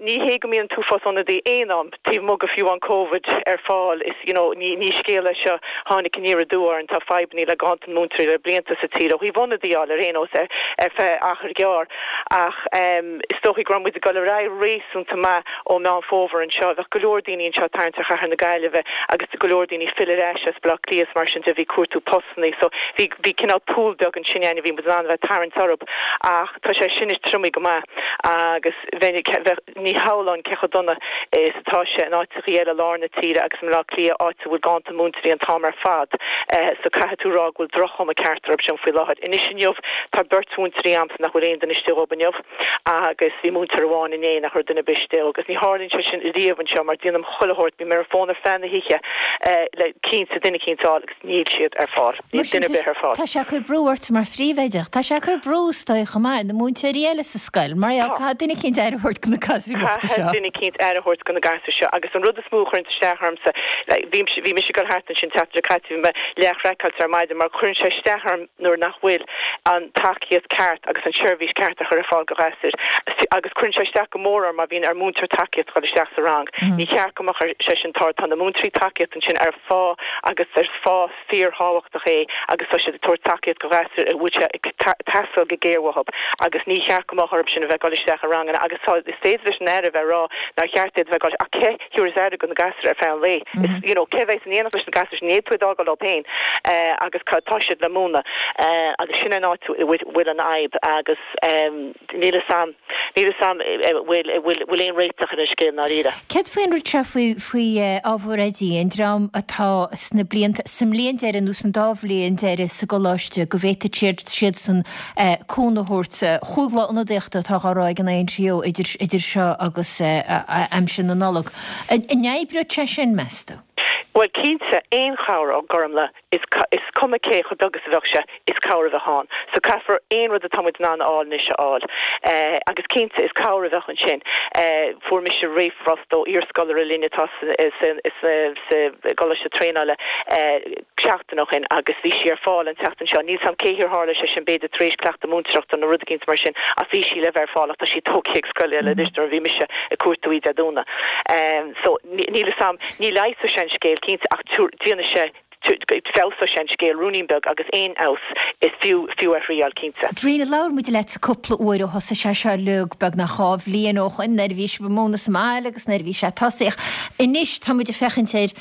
ní hé go mbíonn an t-uafás ionadaí aon am taobh amuigh de fiú amháin Covid ar fáil. Is, you know, ní, ní scéal é seo tháinig aniar aduaidh orainn, tá fadhbanna le ganntan múinteoirí le blianta sa tír ó thaobh ionadaí a fháil ar aon nós ar, ar feadh achar gearr. Ach is dóichí go raibh muid ag dul ar aghaidh réasúnta maith ó Meán Fómhair anseo. Bheadh go leor daoine anseo ag tarraingt ar chathair na Gaillimhe agus go leor daoine ag filleadh ar ais as Baile Átha Cliath is mar sin de, bhí cuartú postannaí so bhí, bhí cineál pool beag ansin againn a bhí muid in ann a bheith ag tarraingt orthu ach tá sé sin anois triomaithe go maith agus bheinn, bheadh, ní shamhlóinn cé chomh dona is atá sé in áiteachaí eile i lár na tíre agus i mBaile Átha Cliath áit a bhfuil ganntan múinteoirí an t-am ar fad so caithfidh tú rá go bhfuil droch-chuma ceart orthu sin faoi láthair. Anois inniu tá beirt mhúinteoirí a'msa nach bhfuil aon duine istigh dhób inniu agus bhí múinteoir amháin inné nach raibh duine ar bith istigh agus ní tharlaíonn sé sin riamh anseo mar déanaim chuile shórt, bím ar an bhfón ar feadh na hoíche le cinnte duine eicínt a fháil agus níl siad ar fáil. Níl duine ar bith ar fáil. Tá sé ag cur brú ort mar phríomhoide. Tá sé ag cur brú is dóigh chomh maith ar na múinteoirí eile sa scoil mar gheall caithfidh duine eicínt aire a thabhairt do na gasúir bhochta seo. Caithfidh duine eicínt aire a thabhairt do na gasúir seo agus an rud is mó a chuireann isteach ormsa, bhí bhí mise ag dul thart ansin tseachtain seo caite, bhí mé leathchraiceáilte ar maidin mar cuireann sé isteach orm nuair nach bhfuil an tacaíocht ceart agus an tseirbhís ceart á chur ar fáil do ghasúir agus cuireann sé isteach go mór orm má bhíonn ar mhúinteoir tacaíochta dul isteach sa rang. Ní cheart go mbeadh sé sin tar tá na múinteoirí tacaíochta ansin ar phá agus ar phá fíorthábhachtach é agus tá siad ag tabhairt tacaíocht do ghasúir a bhfuil sé ag teastáil go géar uathu agus ní cheart go mbeadh orthu sin a bheith ag dul isteach i ranganna agus tá is féidir leis an Aire a bheith ag rá nár cheart iad a bheith ag dul ach cé thabharfas aire do na gasúir ar feadh an lae? Is you know cé bheas in éineacht leis na gasúir sin? Ní fhéadfaí iad a fhágáil leo féin agus tá siad le múineadh agus sin an áit a bhfuil an fhadhb agus níl fhios a'm níl fhios a'm bhfuil bhfuil aon réiteach ar an scéal i ndáiríre. Céard faoin rud seo faoi faoi ábhar oidí, an dream atá sna blianta, sa mbliain deiridh nó san dá bhliain deiridh sa gcoláiste go bhféadfadh siad siadsan cúnamh a thabhairt, chúig lá ionadaíochta atá á rá ag an INTO idir idir seo agus aimsir na Nollag. An oibreoidh sé sin, meas tú? Bhuel, cinnte, aon chabhair a Ghormfhlaith, is is cuma cé chomh beag is a bheadh sé, is cabhair a bheadh ann. So caithfear aon rud atá muid in ann a fháil anois a fháil. Agus cinnte, is cabhair a bheadh ansin. Fuair mise ríomhphost ó iarscoláire linn atá sa sa gcoláiste traenála seachtain ó shin agus bhí sí ar fáil an tseachtain seo. Níl 's a'm cé hir tharla sé sin, b'fhéidir tar éis cleachtadh múinteoireachta nó rud eicínt mar sin, ach bhí sí le bheith ar fáil ach tá sí tógtha ag scoil eile anois nuair a bhí mise ag cuartú í Dé Domhnaigh. So níl 'fhios a'm, ní leigheasfaidh sé an scéal cinnte ach déanfaidh sé, feabhsóidh sé an scéal ruainnín beag agus aon fheabhas is fiú, fiú a thriáil cinnte. Darina, labhair muid leatsa cúpla uair ó thosaigh sé seo uilig beagnach dhá bhliain ó shoin nuair a bhí sibh ag múineadh sa mbaile agus nuair a bhí sé tosaithe. Anois tá muid ag féachaint ar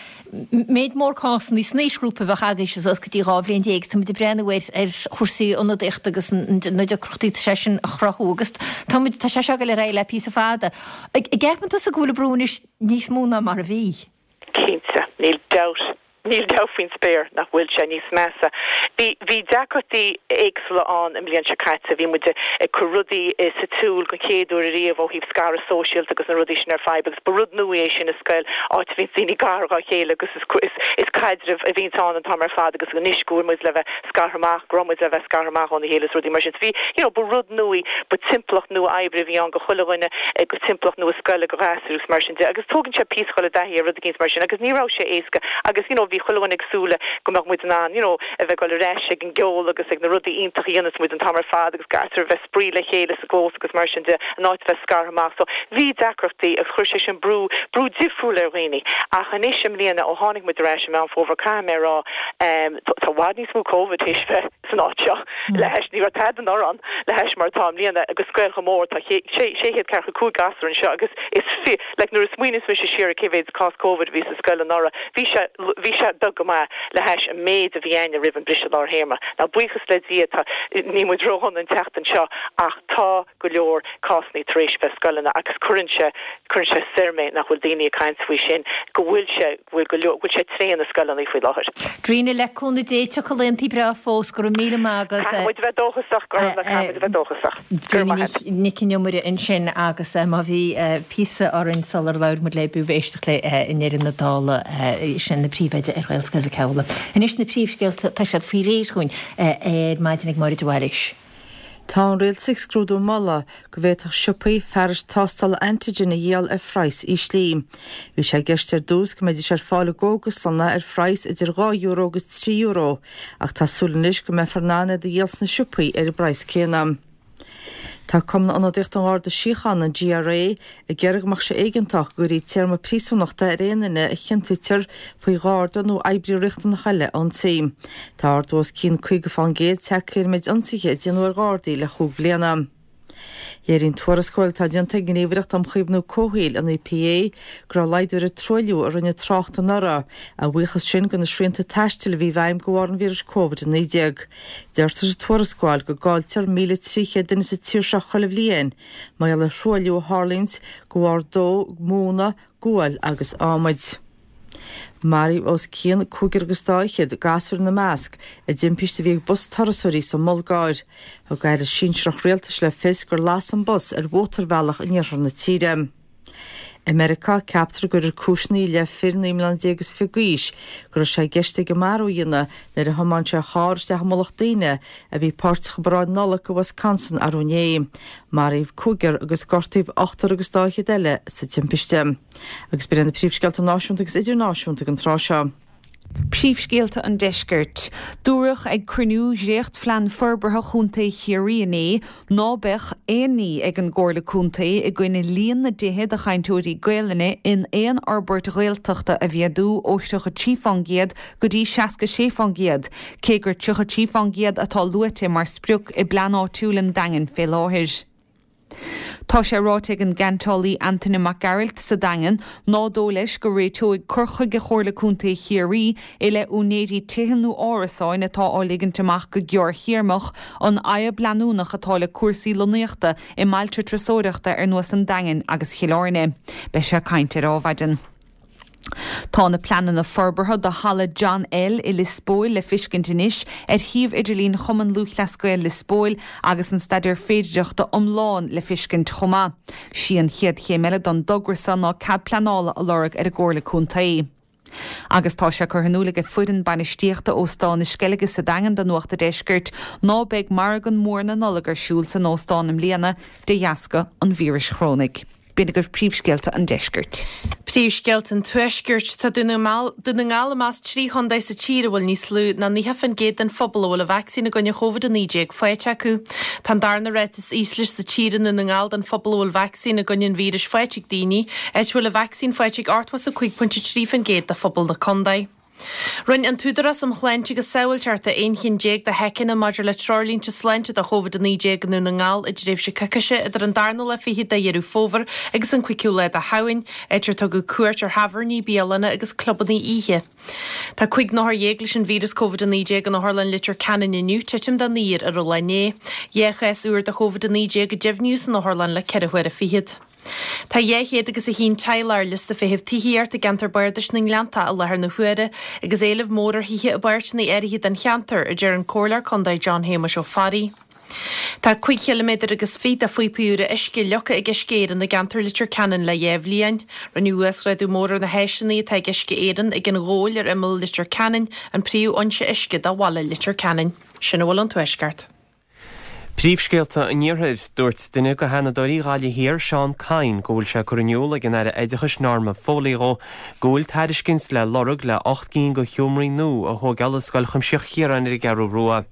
méid mór cásanna san aoisghrúpa a bheadh agaibhse suas go dtí dhá bhliain déag. Tá muid ag breathnú ar ar chúrsaí ionadaíochta agus na deacrachtaí atá sé sin a chruthú agus tá muid, tá sé seo ag dul ar aghaidh le píosa fada. An gceapann tusa go bhfuil an brú anois níos mó ná mar a bhí? Cinnte, níl dabht, níl dabht faoin spéir nach bhfuil sé níos measa. Bhí, bhí deacrachtaí éagsúla ann an bhliain seo caite, bhí muid ag cur rudaí sa tsiúl den chéad uair ariamh ó thaobh scaradh sóisialta agus na rudaí sin ar fad agus ba rud nua é sin i scoil, áit a bhíonns daoine gar dhá chéile agus is, is, is caidreamh a bhíonns ann an t-am ar fad agus anois go bhfuil muid le bheith scartha amach, go raibh muid le bheith scartha amach óna chéile is rudaí mar sin. So bhí, you know, ba rud nua í, ba timpeallacht nua oibre a bhí ann go chuile dhuine, go timpeallacht nua scoile go ghasúir agus mar sin de agus tógann sé píosa dhul i dtaithí ar rud eicínt mar sin agus ní raibh sé éasca agus you know bhí chuile dhuine ag súil le go mbeadh muid in ann you know a bheith ag dul ar ais ag an gceol agus ag na rudaí iontacha a dhéanas muid an t-am ar fad agus gasúir a bheith spraoi le chéile sa gclós agus mar sin de in áit a bheith scartha amach so bhí deacrachtaí agus chuir sé sin brú brú difriúil ar dhaoine ach anois i mbliana ó tháinig muid ar ais i Meán Fómhair caithfidh mé a rá ehm tá i bhfad níos mó Covid théis bheith san áit seo le hais ní raibh tada anuraidh ann le hais mar atá i mbliana agus scoil chomh mór tá sé sé chéad ceathracha cúig gasúr anseo agus is fi like nuair a smaoiníos mise siar ar cé mhéad cás Covid a bhí sa scoil anuraidh bhí sé bhí sé beag go maith le hais an méid a bhí againne roimh an briseadh lár théarma. Now buíochas le Dia tá níl muid ródhona an tseachtain seo ach tá go leor cásanna tar éis bheith scoileanna agus cuireann sé cuireann sé soir mé nach bhfuil daoine ag caint faoi sin go bhfuil sé go bhfuil go leor go bhfuil sé tréan i scoileanna faoi láthair. Darina, le cúnamh Dé tiocfaidh laethantaí breá fós, go raibh míle maith agat. Caithfidh muid a bheith dóchasach, Gormfhlaith, caithfidh muid a bheith dóchasach. Go raibh maith agat. Nic an Iomaire ansin agus má bhí píosa orainn sular labhair muid léi b'fhiú éisteacht léi i ndeireadh na dála, sin an príomhoide ar Ghaelscoil Mhic Amhlaigh. Anois na príomhscéalta, tá siad faoi réir chugainn ar maidin ag Máire de Bhailís. Tá an Rialtas ag scrúdú moladh go bhféadfadh siopaí fearais tástála antigen a dhíol ar phraghas íslí. Bhí sé i gceist ar dtús go mbeidís ar fáil i gcógaslanna ar phraghas idir dhá euro agus trí euro, ach tá súil anois go mbeifear in ann iad a dhíol sna siopaí ar an bpraghas céanna. Tá Cumann Ionadaíochta an Gharda Síochána, an GRA, ag iarraidh go mbeadh sé éigeantach go gcuirfí téarma príosúnachta ar aon duine a chiontaítear faoi gharda nó oibrí riachtanach eile a ionsaí. Tá ardú os cionn caoga fán gcéad tagtha ar an méid ionsaithe a déanadh ar ghardaí le chúig bhliana. Léiríonn tuarascáil atá déanta ag an nGníomhaireacht um Chaomhnú Comhshaoil, an EPA, go raibh laghdú ar an truailliú a rinne trácht anuraidh, a bhuíochas sin do na srianta taistil a bhí i bhfeidhm de bharr an víris Covid a naoi déag. Deirtear sa tuarascáil go gcailltear míle trí chéad duine sa tír seo chuile bhliain mar gheall ar thruailliú a tharlaíonns de bharr dó móna, guail agus adhmaid. Maraíodh os cionn cúigear agus dá fhichead, gasúir ina measc, i dtimpiste a bhí ag bus turasóirí sa mBulgáir. Thug aire sinsearach rialtais le fios gur las an bus ar mhótarbhealach in iarthar na tíre. I Meiriceá, ceaptar go gcuirfear cúiseanna i leith fir naoi mbliana déag is fiche d'aois go raibh sé i gceist aige marú a dhéanamh nuair a thiomáin sé a charr isteach i mullach daoine a bhí páirteach i bparáid Nollag i Wisconsin arú inné. Maraíodh cúigear agus gortaíodh ochtar agus dá fhichead eile sa timpiste. Agus b'in iad na príomhscéalta náisiúnta agus idirnáisiúnta ag an tráth seo. Príomhscéalta an Deiscirt. Dúradh ag cruinniú Dhréachtphlean Forbartha Chontae Chiarraí inné ná beadh aon ní ag an gComhairle Contae i gcoinne líon na dtithe do chainteoirí Gaelainne in aon fhorbairt Ghaeltachta a mhéadú ó tríocha trí fán gcéad go dtí seasca sé fán gcéad, cé gur tríocha trí fán gcéad atá luaite mar sprioc i bplean áitiúil an Daingin fé láthair. Tá sé ráite ag an gceantálaí Antaine Mac Gearailt sa Daingean ná dóigh leis go réiteoidh cur chuige Chomhairle Contae Chiarraí i leith úinéirí tithe nó árasáin atá á ligint amach go gearrthéarmach an fhadhb leanúnach atá le cúrsaí lonnaíochta i mbailte turasóireachta ar nós an Daingin agus Chill Airne. Beidh sé ag caint ar Adhmhaidin. Tá na pleananna forbartha do Halla John L i Lios Póil le fiscint anois ar shuíomh idirlín Chumann Lúthchleas Gael Lios Póil agus an staidéar féidireachta iomlán le fiscint chomh maith. Sí an chéad chéim eile don dtogra seo ná cead pleanála a lorg ar an gComhairle Contae. Agus tá sé curtha in iúl ag foireann bainistíochta Óstán na Sceilge sa Daingean do Nuacht a' Deiscirt ná beidh margadh mór na Nollag ar siúl san óstán i mbliana de dheasca an víris chorónaigh. B'in agaibh príomhscéalta an deiscirt. Príomhscéalta an Tuaiscirt. Tá Dún na nGall i measc trí chontae sa tír a bhfuil níos lú ná naocha faoin gcéad den phobal a bhfuil an vacsaín i gcoinne Covid a naoi déag faighte acu. Tá an darna ráta is ísle sa tír i nDún na nGall den phobal a bhfuil vacsaín i gcoinne an víris faighte ag daoine, áit a bhfuil an vacsaín faighte ag ochtó is a cúig pointe trí faoin gcéad de phobal na contae. Rinne an tÚdarás um Shláinte agus Sábháilteachta aon cheann déag de sheiceanna maidir le treoirlínte sláinte do Covid a naoi déag i nDún na nGall i dtréimhse coicíse idir an darna lá fichead de Dheireadh Fómhair agus an cúigiú lá de Shamhain, áit ar tugadh cuairt ar thábhairní, bialanna agus clubanna oíche. Tá cúig n-othar dhéag leis an víreas Covid a naoi déag in Otharlann Leitir Ceanainn inniu, titim de naonúr ar an lá inné. Dhá chás úr de Covid a naoi déag a deimhníodh san otharlann le ceithre huaire fichead. Tá dhá chéad agus a haon teaghlach ar liosta feithimh tithíochta i gceantar bardais na nGleanntach i láthair na huaire agus éileamh mór ar thithe i bpáirteanna áirithe den cheantar, a deir an Comhairleoir Contae John Shéamuis Ó Fearraigh. Tá cúig chiliméadar agus fiche de phíopaí úra uisce leagtha ag Uisce Éireann i gceantar Leitir Ceanainn le dhá bhliain. Rinneadh uasghrádú mór ar na háiseanna atá ag Uisce Éireann ag an Ghabhal ar imeall Leitir Ceanainn, an príomhfhoinse uisce do bhaile Leitir Ceanainn. Sin a bhfuil ón Tuaisceart. Príomhscéalta an Iarthair, Dúirt duine de Sheanadóirí Ghaillimh Thiar, Seán Kyne, go bhfuil sé curtha in iúl ag an Aire Oideachais Norma Foley dhó go bhfuil tairiscint le lorg le ocht gcinn de sheomraí nua a thógáil i Scoil Chuimsitheach Chiaráin ar an gCeathrú Rua.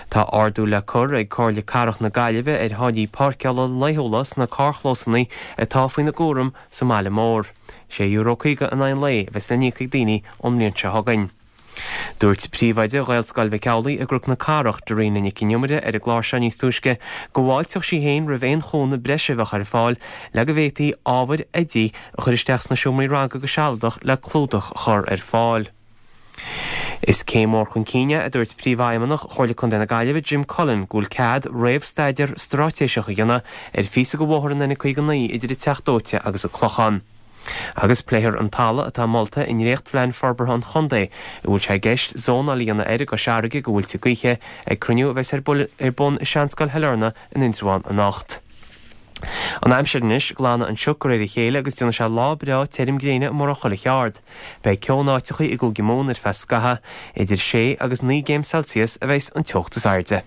Tá ardú le cur ag Comhairle Cathrach na Gaillimhe ar tháillí páirceála laethúla sna carrchlósanna atá faoina gcúram sa mbaile mór. Sé euro caoga in aghaidh an lae a bheas le n-íoc ag daoine ón mbliain seo chugainn. Dúirt príomhoide Ghaelscoil Mhic Amhlaigh i gCnoc na Cathrach, Darina Nic an Iomaire, ar an gclár seo níos túisce go bhfáilteodh sí féin roimh aon chúnamh breise a bheadh ar fáil le go bhféadfaí ábhair oidí a chur isteach sna seomraí ranga go sealadach le clúdach a chur ar fáil. Is céim mhór chun cinn é, a dúirt Príomhfheidhmeannach Chomhairle Contae na Gaillimhe, Jim Cullen, go bhfuil cead réamhstaidéar straitéiseach a dhéanamh ar phíosa de bhóthar an N caoga naoi idir an Teach Dóite agus an Clochán. Agus pléifear an talamh atá molta i ndréachtphlean forbartha an chontae, a bhfuil sé i gceist zónáil a dhéanamh air i gCois Fharraige go mhuilte gaoithe, ag cruinniú a bheas ar bun i Seanscoil Shailearna in Indreabhán anocht. An aimsir anois, glanfaidh an sioc de réir a chéile agus déanfaidh sé lá breá tirim gréine i mórán chuile cheard. Beidh ceo in áiteachaí i gCúige Mumhan ar feadh scaithimh. Idir sé agus naoi gcéim Celsius a bheas an teocht is airde.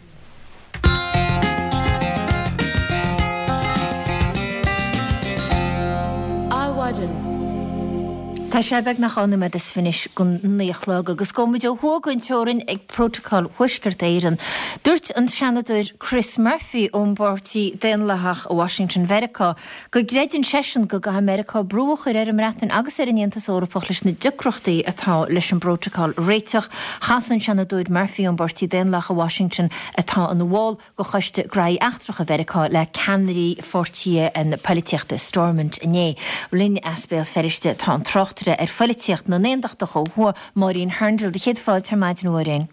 Adhmhaidin. Tá sé beagnach dhá nóiméad is fiche anois don naoi a chlog agus gabhfaidh muid ó thuaidh den teorainn ag Prótacal Thuaisceart Éireann. Dúirt an Seanadóir Chris Murphy ón bPáirtí Daonlathach i Washington Mheiriceá go gcreideann seisean go gcaithfidh Meiriceá brú a chur ar an mBreatain agus ar an Aontas Eorpach leis na deacrachtaí atá leis an bprótacal a réiteach. Chas an Seanadóir Murphy ón bPáirtí Daonlathach i Washington atá ina bhall de Choiste Graithí Eachtracha Mheiriceá le ceannairí pháirtí na polaitíochta i Stormont inné. Linn as Béal Feirste tá an tráchtaire ar pholaitíocht na nAontachtach ó thuaidh, Máirín Hurndall. Céad fáilte ar maidin, a Mháirín.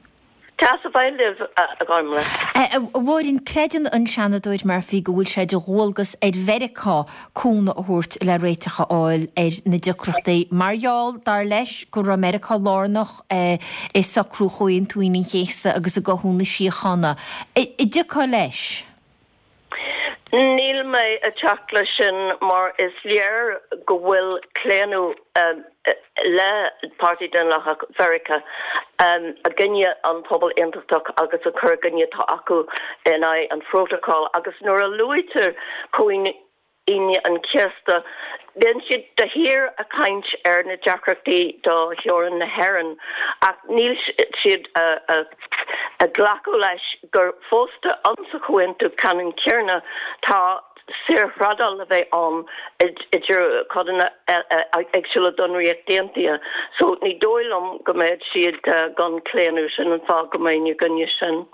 Tá sa bhaile libh, a Ghormlaith. A Mháirín, creideann an Seanadóir Murphy go bhfuil sé de dhualgas ar Mheiriceá cúnamh a thabhairt le réiteach a fháil ar na deacrachtaí mar gheall, dar leis, go raibh Meiriceá lárnach i socrú Chomhaontú Aoine an Chéasta agus i gcothú na síochána. An dtiocfá leis? Níl mé ag teacht leis sin mar is léir go bhfuil claonadh le Páirtí Daonlathach Mheiriceá i gcoinne an pobal aontachtach agus an cur i gcoinne atá acu in aghaidh an phrótacail agus nuair a luaitear Comhaoine Aoine an Chéasta, bíonn siad de shíor ag caint ar na deacrachtaí do theorainn na hÉireann ach níl siad ag glacadh leis gur fosta insa chomhaontú ceannann céanna tá saorthrádáil le bheith ann idir codanna éagsúla den Ríocht Aontaithe. So ní dóigh liom go mbeidh siad gan claonadh, sin an fáth go mbeinn i gcoinne sin.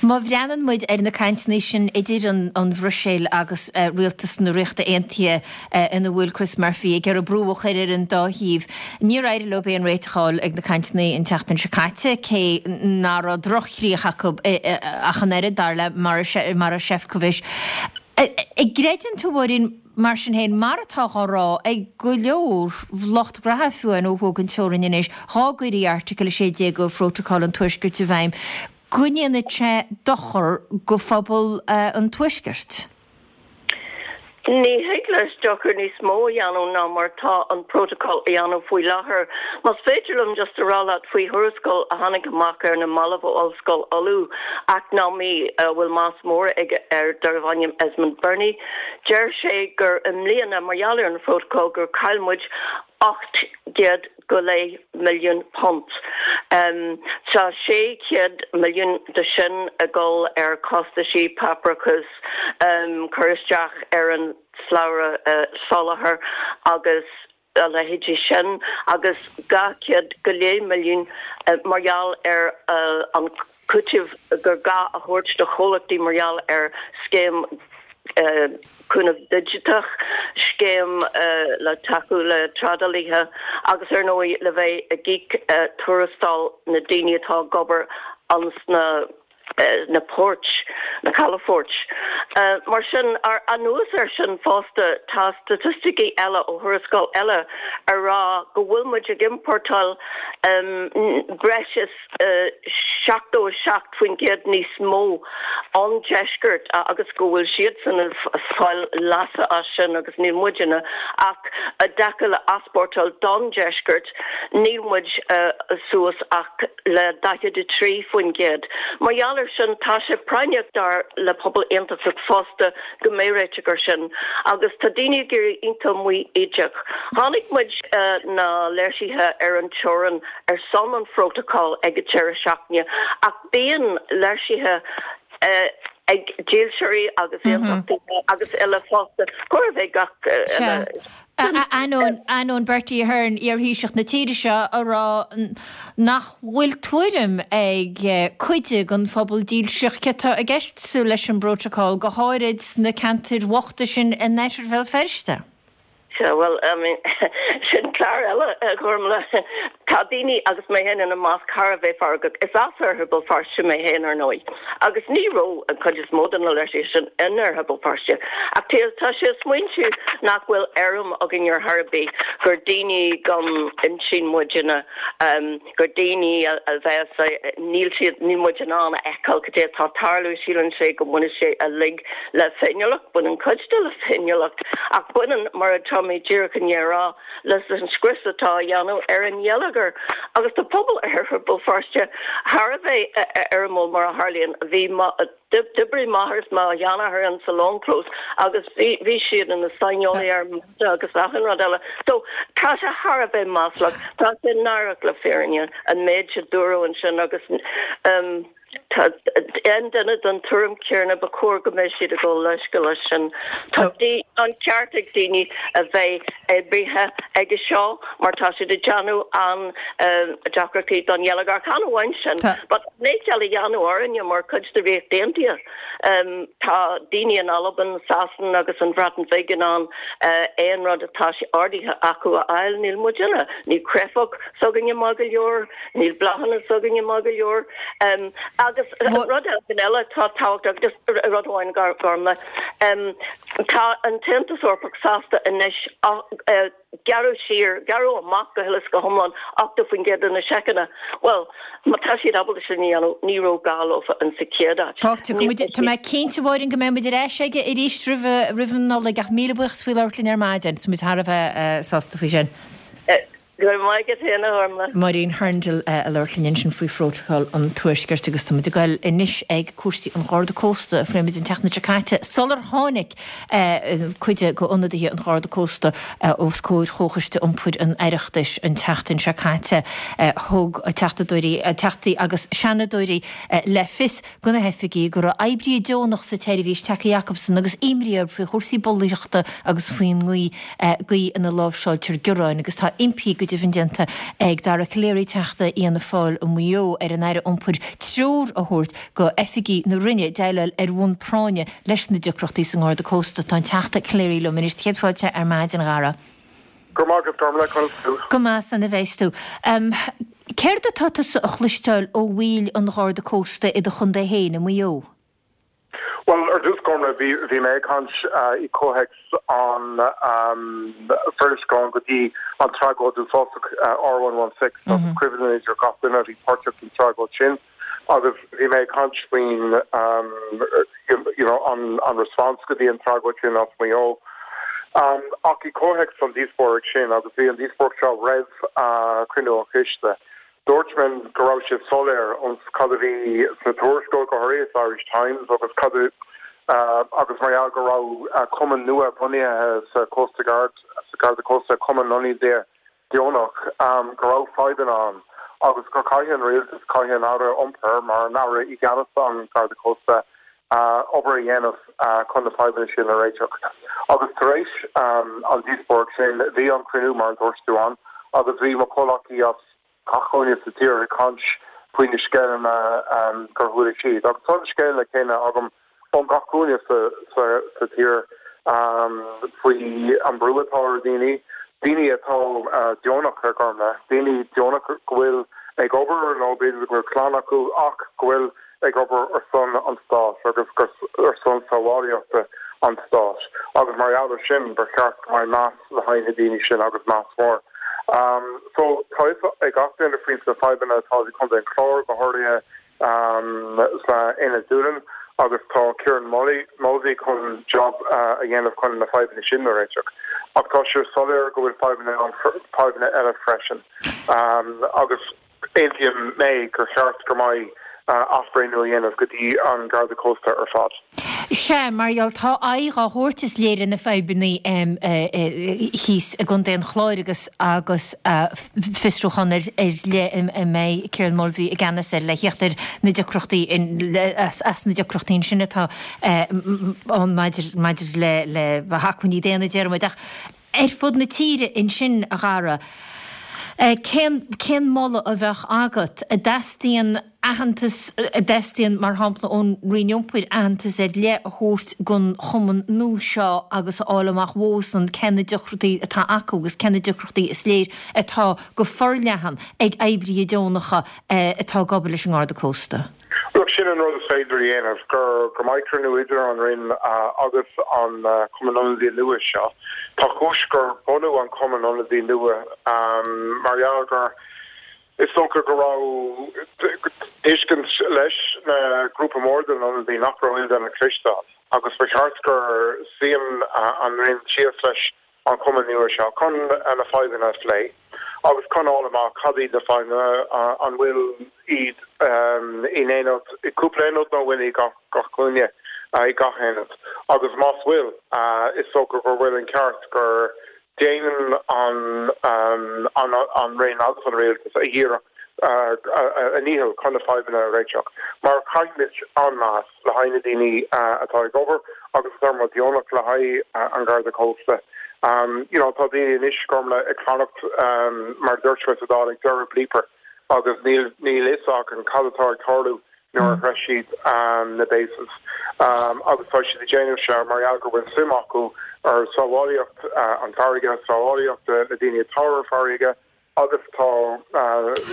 Má bhreathnaíonn muid ar na cainteanna sin idir an Bhruiséil agus rialtas na Ríochta Aontaithe ina bhfuil Chris Murphy ag iarraidh brú a chur ar an dá thaobh, níor éirigh leo aon réiteach a fháil ag na cainteanna an tseachtain seo caite, cé nach raibh droch-chríoch acu ach an oiread, dar le Maroš Šefčovič. An gcreideann tú, a Mháirín, mar sin féin, mar atá á rá ag go leor lucht graithe fiú amháin ó thuaidh den teorainn anois, dhá gcuirí Airteagal a sé déag de Phrótacal an Tuaiscirt i bhfeidhm, go ndéanfaidh sé dochar go phobal an Tuaiscirt. Ní thig leis dochar níos mó a dhéanamh ná mar tá an prótacal a dhéanamh faoi láthair. Más féidir liom just a rá leat faoi thuarascáil a tháinig amach ar na mallaibh ó Ollscoil Uladh, eacnamaí a bhfuil meas mór aige air darbh ainm Esmond Birnie, deir sé gur i mbliana, mar gheall ar an phrótacal, gur chaill muid ocht gcéad go leith milliún punt. Tá sé chéad milliún de sin ag dul ar chostaisí páipéarachais, cur isteach ar an slabhra soláthair agus a leithéidí sin, agus dhá chéad go leith milliún mar gheall ar an cúiteamh gur gá a thabhairt do chomhlachtaí mar gheall ar scéim cúnamh digiteach, scéim le tacú le trádálaithe agus ar ndóigh le bheith ag íoc tuarastal na daoine atá ag obair ins na na poirt, na calafoirt. Mar sin, anuas air sin fosta, tá staitisticí eile ó thuarascáil eile ag rá go bhfuil muid ag iompórtáil breis is seachtó a seacht faoin gcéad níos mó ón deisceart agus go bhfuil siadsan ag fáil leasa as sin agus níl muidne ach i dtaca le easpórtáil don deisceart níl muid suas ach le daichead a trí faoin gcéad. Mar gheall air sin tá sé práinneach dar le pobal aontachtach fosta go mbeidh réiteach air sin agus tá daoine ag éirí iontach maítheach. Chonaic muid na léirsithe ar an teorainn ar son an phrótacail ag an deireadh seachtaine ach bíonn léirsithe ag dílseoirí agus aontachtaithe agus eile fosta, chóir a bheith gach uile. Ainneoin, ainneoin Bertie Ahern, iar-Thaoiseach na tíre seo, a rá nach bhfuil tuairim ag cuid den phobal dílseach céard atá i gceist leis an bprótacal, go háirid sna ceantair bhochta sin in oirthear Bhéal Feirste. Sea, bhuel, I mean, sin clár eile, a Ghormfhlaith. Tá daoine, agus mé féin ina measc, thar a bheith feargach. Is as Oirthear Bhéal Feirste mé féin, ar ndóigh, agus ní raibh an chuid is mó de na léirsithe sin in Oirthear Bhéal Feirste. Ach tá sé ag smaointiú nach bhfuil éirim againn ar chor ar bith, gur daoine gan intinn muidne, gur daoine a bheas, níl siad, níl muid in ann a fheiceáil cad é atá ag tarlú, síleann sé go mbaineann sé uilig le féiniúlacht, baineann cuid de le féiniúlacht, ach baineann, mar atá mé díreach i ndiaidh a rá, leis an scrios atá á dhéanamh ar an gheilleagar. Agus tá pobal Oirthear Bhéal Feirste thar a bheith éirimiúil, mar a tharlaíonn. Bhí mo, d'oibrigh m'athair is mo sheanathair in sa longchlós agus bhí, bhí siad ina saineolaithe ar mhata agus achan rud eile. So, tá sé thar a bheith maslach, tá sé náireach le fírinne an méid a dúradh ansin agus, Tá aon duine den tuairim chéanna, ba chóir go mbeadh siad ag gabháil leithscéal leis sin. Tá an ceart ag daoine a bheith oibrithe aige seo mar tá siad ag déanamh an-deacrachtaí don gheilleagar. Chan amháin sin, but leithcheal a dhéanamh orainne mar chuid de Ríocht Aontaithe. Tá daoine in Albain, Sasain agus an Bhreatain Bhig in ann aon rud atá ordaithe acu a fháil. Níl muidne, níl créafóg s'againne maith go leor, níl bláthanna s'againne maith go leor. Agus Agus rud eile atá tábhachtach just rud amháin Gormlaith. Tá an tAontas Eorpach sásta anois gearradh siar, gearradh amach go huile is go hiomlán ochtó faoin gcéad de na seiceanna. Bhuel, má tá siad ábalta sin a dhéanamh, ní raibh gá leofa in sa chéad áit. Tá mé cinnte Mháirín go mbeidh muid ar ais aige arís roimh an Nollaig ach míle buíochas faoi labhairt linn ar maidin, tá muid thar a bheith sásta faoi sin. Go raibh maith agat féin, a Ghormlaith. Máirín Hurndall ag labhairt linn ansin faoi Phrótacal an Tuaiscirt agus tá muid ag goil anois ag cúrsaí an Gharda Cósta a phléigh muid an tseachtain seo caite sular tháinig cuid de ionadaithe an Gharda Cósta os comhair Chomhchoiste Iompair an Oireachtais an tseachtain seo caite. Thug teachtadóirí, teachtaí agus seanadóirí le fios do na hoifigigh go raibh oibrithe deonach sa tseirbhís tagtha chucusan agus imní orthu faoi chúrsaí bulaíochta agus faoin gcaoi gcaoi ina láimhseáiltear gearáin agus tá impí go deimhin déanta ag Dara Calleary, Teachta Fhianna Fáil i Maigh Eo, ar an Aire Iompair treoir a thabhairt go oifigigh na Roinne déileáil ar bhonn práinne leis na deacrachtaí sa nGarda Cósta. Tá an Teachta Calleary liom anois. Céad fáilte ar maidin, a Dhara. Go raibh maith agat, Gormlaith, conas tú? Go maith san a bheas tú. Céard atá tusa a chloisteáil ó bhaill an Gharda Cósta i do chontae féin, i Maigh Eo? Bhuel, ar dtús, Gormlaith, bhí bhí mé ag caint i comhthéacs an tuairisceán go dtí an tragóid uafásach R one one six agus cuimhin idir gach duine a bhí páirteach san tragóid sin agus bhí mé ag caint faoin you know an an response go dtí an tragóid sin as Maigh Eo. Ach i comhthéacs an díospóireacht sin agus bhí an díospóireacht seo roimh cruinniú an choiste, Dúirt mé go raibh sé soiléir ón cad a bhí sna tuarascáil, go háirithe sa Irish Times agus cad a agus mar gheall go raibh cumann nua bunaithe sa Coast Guard, sa Garda Cósta, cumann ionadaithe deonach, go raibh fadhbanna ann agus gur caithfidh an rialtas, caithfidh an Aire Iompair mar an Aire i gceannas an Garda Cósta, obair a dhéanamh chun na fadhbanna sin a réiteach. Agus tar éis an díospóireacht sin, bhí an cruinniú mar a dúirt tú ann agus bhí mo chomhleacaí as gach cúinne sa tír ag caint faoi na scéileanna gur chuala siad. Agus tá na scéileanna céanna agam ón gach cúinne sa tír faoi an brú atá ar dhaoine, daoine atá deonach a Ghormlaith, daoine deonach go bhfuil ag obair nó b'fhéidir go bhfuil clann acu ach go bhfuil ag obair ar son an stáit agus ar son sábháilteachta an stáit. Agus mar gheall ar sin ba cheart go mbeidh meas le haghaidh na daoine sin agus meas mór. So tá a fhios ag gach duine faoi na fadhbanna atá i gContae an Chláir, go háirithe sna Aonad Dúlainn, agus tá Kieran Mulvey chun job a dhéanamh chun na fadhbanna sin a réiteach. Ach tá sé soiléir go bhfuil fadhbanna ann, fadhbanna eile freisin. Agus aontaím mé gur cheart go mbeidh athbhreithniú a dhéanamh go dtí an Garda Cósta ar fad. Sea, mar gheall, tá aghaidh á thabhairt is léir ar na fadhbanna thíos i gContae an Chláir agus agus fiosrúchán ar leith a mbeidh Kieran Mulvey i gceannas air le theacht ar na deacrachtaí as na deacrachtaí ansin atá ann maidir maidir le le hacmhainní daonna, déarfaidh muid. Ach ar fud na tíre ansin, a Dhara, Cén cén moladh a bheadh agat? An dteastaíonn aitheantas, an dteastaíonn, mar shampla, ón Roinn Iompair aitheantas ar leith a thabhairt don chumann nua seo agus a fháil amach uathusan cé na deacrachtaí atá acu agus cé na deacrachtaí is léir atá go forleathan ag oibrithe deonacha atá ag obair leis an nGarda Cósta? Look, sin an rud is féidir a dhéanamh, gur go mbeidh cruinniú idir an Roinn agus an Cumann Ionadaí nua seo. Tá cúis gur bunú an Cumann Ionadaí nua mar gheall gur is dócha go raibh tuiscint leis na grúpa mór den ionadaí nach raibh aon duine ag cloisteáil agus ba cheart gur suíonn an Roinn síos leis an chumann nua seo chun na fadhbanna a phlé agus chun fháil amach cad iad na fadhbanna, an bhfuil iad in aonad, i gcúpla aonad nó an bhfuil i gach cúinne, i gach aonad. Agus más bhfuil, is dócha gur bhfuil an ceart gur déanann an an Roinn agus an Rialtas a iarracht a ndícheall chun na fadhbanna a réiteach. Mar caithfimid an-mheas le haghaidh na daoine atá ag obair agus atá mar deonach le haghaidh an Gharda Cósta. You know, tá daoine anois, Gormlaith, ag fanacht, mar a dúirt mé sa Dáil, ag deireadh bleeper agus níl níl fhios acu cad atá ag tarlú nuair a shroich siad na bases. Agus tá siad ag déanamh seo mar gheall go bhfuil suim acu ar sábháilteacht an farraige, sábháilteacht na daoine atá ar farraige, agus tá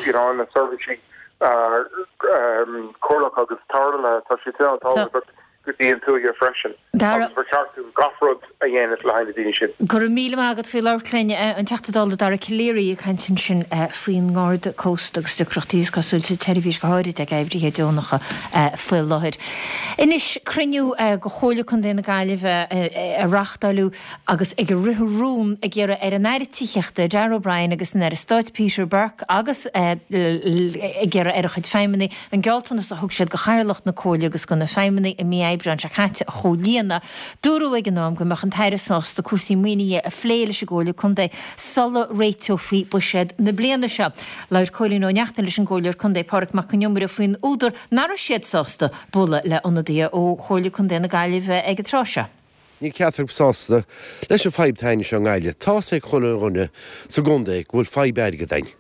you know na seirbhísí Comhairleach agus tarlaithe, tá siad sin an-tábhachtach go dtí an tuaithe freisin agus ba cheart dúinn gach rud a dhéanamh le haghaidh na daoine sin. Go raibh míle maith agat faoi labhairt linn, an Teachta Dála Dara Calleary ag caint ansin faoin nGarda Cósta agus deacrachtaí is cosúil sa tseirbhís go háirid ag oibrithe deonacha faoi láthair. Anois cruinniú de Chomhairle Contae na Gaillimhe a reáchtáladh agus ag ritheadh rún ag iarraidh ar an Aire Tithíochta Darragh O'Brien agus an Aire Stáit Peter Burke agus ag iarraidh ar a chuid feidhmeannaigh an gealltanas a thug siad go Chathaoirleach na Comhairle agus go na feidhmeannaigh i mí Aibreáin seo caite a chomhlíonadh. Dúradh ag an am go mbeadh an tAire sásta cúrsaí maoinithe a phlé leis an gComhairle Contae sula réiteofaí buiséad na bliana seo. Labhair Cóilín Ó Neachtain leis an gComhairleoir Contae Pádraig Mac Con Iomaire faoin údar nach raibh siad sásta bualadh le ionadaithe ó Chomhairle Contae na Gaillimhe ag an tráth seo. Níl ceachtar acu sásta leis an fadhb atá againn anseo i nGaillimh. Tá's ag chuile dhuine sa gcontae go bhfuil fadhb airgid againn.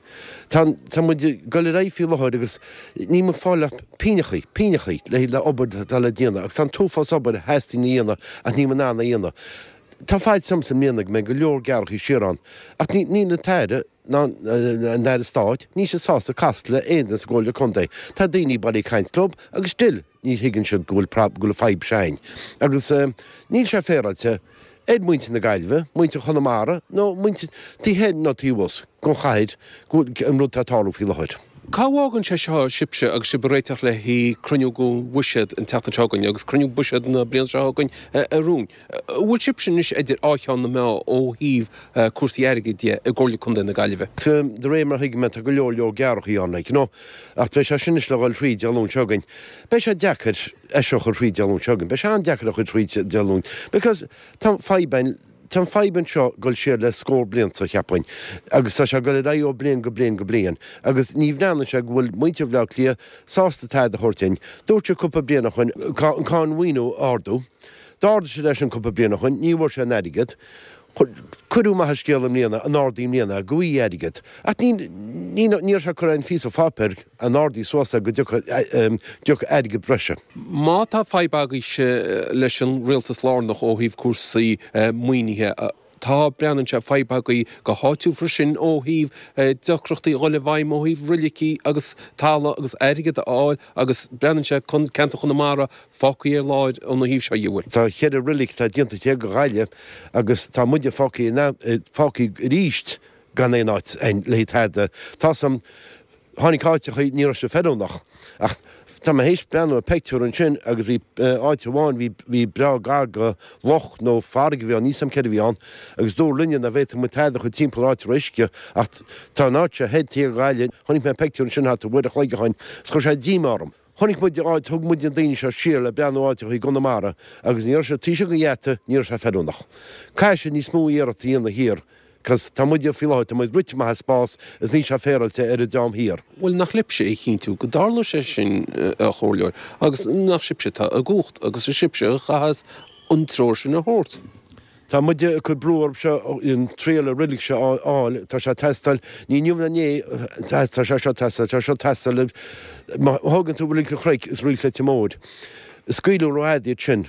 Tá tá muid ag dul ar aghaidh faoi láthair agus níl muid ag fáil ach pínneachaí, pínneachaí le le obair atá le déanamh agus tá an t-uafás obair a theastaíonn a dhéanamh ach níl muid in ann a dhéanamh. Tá faitíos ormsa i mbliana go mbeidh go leor gearrthaí siar ann ach ní níl an tAire ná an Aire Stáit, níl siad sásta casadh le aon duine sa gComhairle Contae. Tá daoine bailithe ag caint leo agus still ní thuigeann siad go bhfuil go bhfuil fadhb s'againn. Agus níl sé féaráilte ar muintir na Gaillimhe, muintir Chonamara nó muintir taobh thoir nó taobh thuas den chathair go bhfuil an rud atá ag tarlú faoi láthair. Cá bhfágann sé seo sibhse agus sibh ag réiteach le haghaidh cruinniú den bhuiséad an tseachtain seo chugainn agus cruinniú buiséad na bliana seo chugainn a rúin? An bhfuil sibhse anois idir dhá cheann na meá ó thaobh cúrsaí airgid de i gComhairle Contae na Gaillimhe? De réir mar a thuigim é tá go leor leor gearrthaí ann like, you know. Ach beidh sé sin anois le dhul thríd Dé Luain seo chugainn. Beidh sé deacair é seo a chur thríd Dé Luain seo chugainn. Beidh sé an-deacair a chur thríd Dé Luain because tá fadhb ann Tá an fadhb anseo ag dul siar le scór blianta, cheapfainn, agus tá sé ag dul ar aghaidh ó bliain go bliain go bliain, agus ní bhreathnaíonn sé go bhfuil muintir Bhaile Átha Cliath sásta tada a thabhairt dúinn. Dúirt siad cúpla bliain ó shoin an cáin mhaoine a ardú. D'ardaigh siad é sin cúpla bliain ó shoin, ní bhfuair sé an airgead. Cuireadh amach an scéal i mbliana, an ardaí i mbliana, go bhfaighidh airgead. Ach ní, ní, ní raibh sé curtha ar an phíosa pháipéir an ardaí suas é go dtiocfadh airgead breise. Má tá fadhb agaibhse leis an rialtas lárnach ó thaobh cúrsaí maoinithe, tá, breathnaíonn sé, fadhb agaibh go háitiúil freisin ó thaobh deacrachtaí a dhul i bhfeidhm ó thaobh roilicí agus talamh agus airgead a fháil agus breathnaíonn sé ceantar Chonamara fágtha ar lár óna thaobh seo dhe, an bhfuil? Tá cheithre roilig atá déanta thiar go Ghaillimh agus tá muide fágtha fágtha arís gan aon áit le tada. Tá san, tháinig áiteachaí, ní raibh sé feiliúnach. Ach tá mé théis breathnú ar peictiúr ansin agus bhí áit amháin, bhí, bhí breá gar go loch nó farraige a bhí ann, níl 's a'm céard a bhí ann, agus dúradh linne nach bhféadfadh muid tada a chur timpeall ar áit a raibh uisce ach tá an áit seo thoir thiar Ghaillimh, chonaic mé peictiúr ansin thart ar uair a chloig ó shoin is chuir sé díomá orm. Chonaic muid áit, thug muid na daoine seo siar le breathnú áiteachaí i gConamara agus ní raibh sé taobh istigh den gheata, ní raibh sé feiliúnach. Caithfidh siad níos mó iarracht a dhéanamh thiar cos tá muide faoi láthair, tá muid rite amach as spás is níl sé féaráilte ar an dream thiar. Bhuel, nach libhse é a chinntiú go dtarlóidh sé sin, a Chomhairleoir, agus nach sibhse atá i gcumhacht agus is sibhse a chaitheas an treoir sin a thabhairt. Tá muide ag cur brú orthu seo an triail ar roilig seo a fháil, tá sé ag teastáil, ní inniu ná inné, tá sé seo ag teastáil, tá sé seo ag teastáil, má thógann tú Reilig an Chnoic is Reilig Leitir Móir, scaoileadh rófhada iad sin,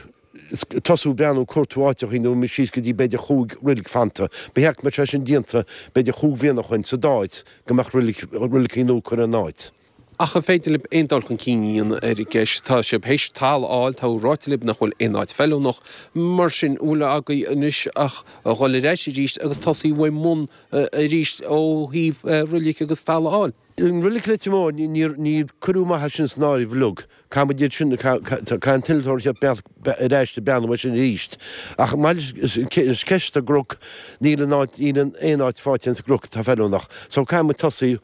tosú ag breathnú cuartú áiteachaí nó imeacht síos go dtí b'fhéidir chúig roilig fanta, ba cheart go mbeadh sé sin déanta b'fhéidir chúig bhliana ó shoin sa dá áit go mbeadh roilicí nua curtha ina áit. Ach an féidir libh aon dul chun cinn a dhéanamh ar an gceist? Tá sibh théis talamh a fháil, tá ráite libh nach bhfuil aon áit feiliúnach. Mar sin, an bhfuil agaibh anois ach a dhul ar ais arís agus tosaí uaidh mbun arís ó thaobh roilig agus talamh a fháil? An roilig Leitir Móir, níor cuireadh amach é sin san áireamh uilig. Caithfidh muid iad sin, caithfidh an t-innealtóir a theacht ar ais ag breathnú air sin arís. Ach maidir leis an ceist sa gCnoc, níl aon áit, níl aon áit faighte sa gCnoc atá feiliúnach. So caithfidh muid tosaí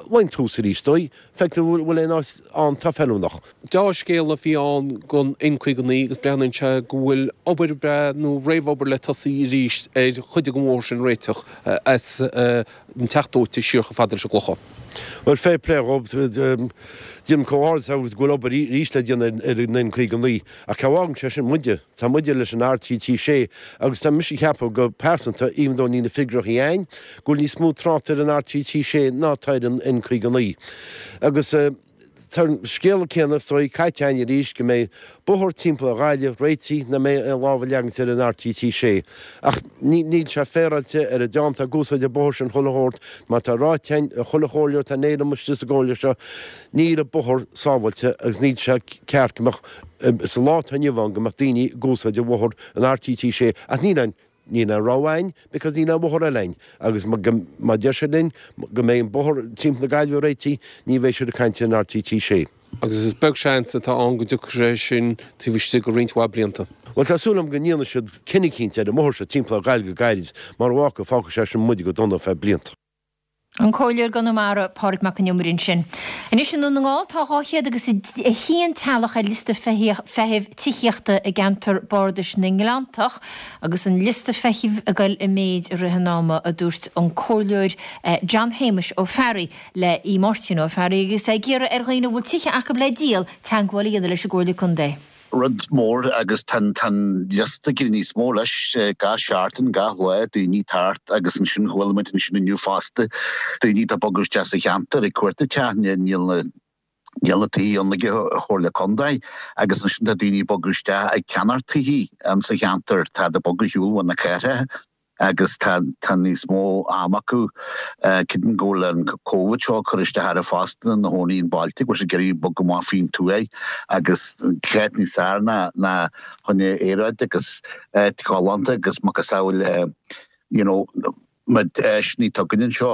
ón tús arís dóigh, feictear an bhfuil aon áit ann atá feiliúnach. Deá-scéal a bhí ann don N caoga naoi agus breathnaíonn sé go bhfuil obair bhreá nó réamhobair le tosaí arís ar chuid den bhóthar sin a réiteach as an Teach Dóite siar chomh fada leis an gClochán. Bhuel, fair play dhób, déanaim comhghairdeas agat go bhfuil obair arís le déanamh ar an N caoga naoi ach cá bhfágann sé sin muide? Tá muide leis an R trí trí sé agus tá mise ag ceapadh go pearsanta, even though níl na figiúireachaí a'inn, go bhfuil níos mó trácht ar an R trí trí sé ná atá ar an N caoga naoi. Agus tá an scéal céanna is dóigh caite againn arís go mbeidh bóthar timpeall ar Ghaillimh réitithe nach mbeidh aon lámh a leagaint ar an RTT sé. Ach níl sé féaráilte ar an dream atá ag úsáid an bóthar sin chuile shórt, mar tá ráite againn ag chuile chomhairleoir atá in éirinn istigh sa gcomhairle seo, níl an bóthar sábháilte agus níl sé ceart go mbeadh, sa lá atá inniu ann, go mbeadh daoine ag úsáid an bhóthar an RTT sé ach níl aon Níl aon rogha againn because níl aon bhóthar eile againn agus má deir siad linn go mbeidh an bóthar timpeall na Gaillimhe réitithe, ní bheidh siad ag caint ar an RTT sé. Agus is beag seans atá ann go dtiocfaidh sé sin taobh istigh de roinnt mhaith blianta. Bhuel tá súil agam go ndéanfaidh siad cinneadh eicínt ar an mbóthar seo timpeall ar Ghaillimh go gairid mar bhfágfaidh fágfaidh sé sin muid go dona ar feadh blianta. An Comhairleoir i gConamara, Pádraig Mac Con Iomaire ansin. Anois i nDún na nGall tá dhá chéad agus a haon teaghlach ar liosta feithimh tithíochta i gceantar bardais na nGleanntach agus an liosta feithimh ag dul i méid i rith an ama, a dúirt an Comhairleoir John Shéamuis Ó Fearraigh le Aodh Máirtín Ó Fearraigh agus é ag iarraidh ar dhaoine a bhfuil tithe acu le díol teagmháil a dhéanamh leis an gComhairle Contae. rud mór agus tá an liosta ag éirí níos mó leis gach seachtain, gach lá, daoine thart agus ansin chuala muid ansin inniu fosta daoine atá ag bogadh isteach sa cheantar ag cuartú teach, níl na níl na tithe ann ag an Chomhairle Contae agus ansin tá daoine ag bogadh isteach ag ceannacht tithe sa cheantar, tá ag bogadh ar shiúl ó na cathracha. agus tá tá níos mó ama acu. Creidim go bhfuil an Covid seo ag cur isteach orthu fosta ina gcónaí i mbailte go bhfuil siad ag iarraidh bogadh amach faoin tuaith agus cá háit níos fearr ná ná chun aeráid agus áit ghalánta agus macasamhail you know na deiseanna atá againn anseo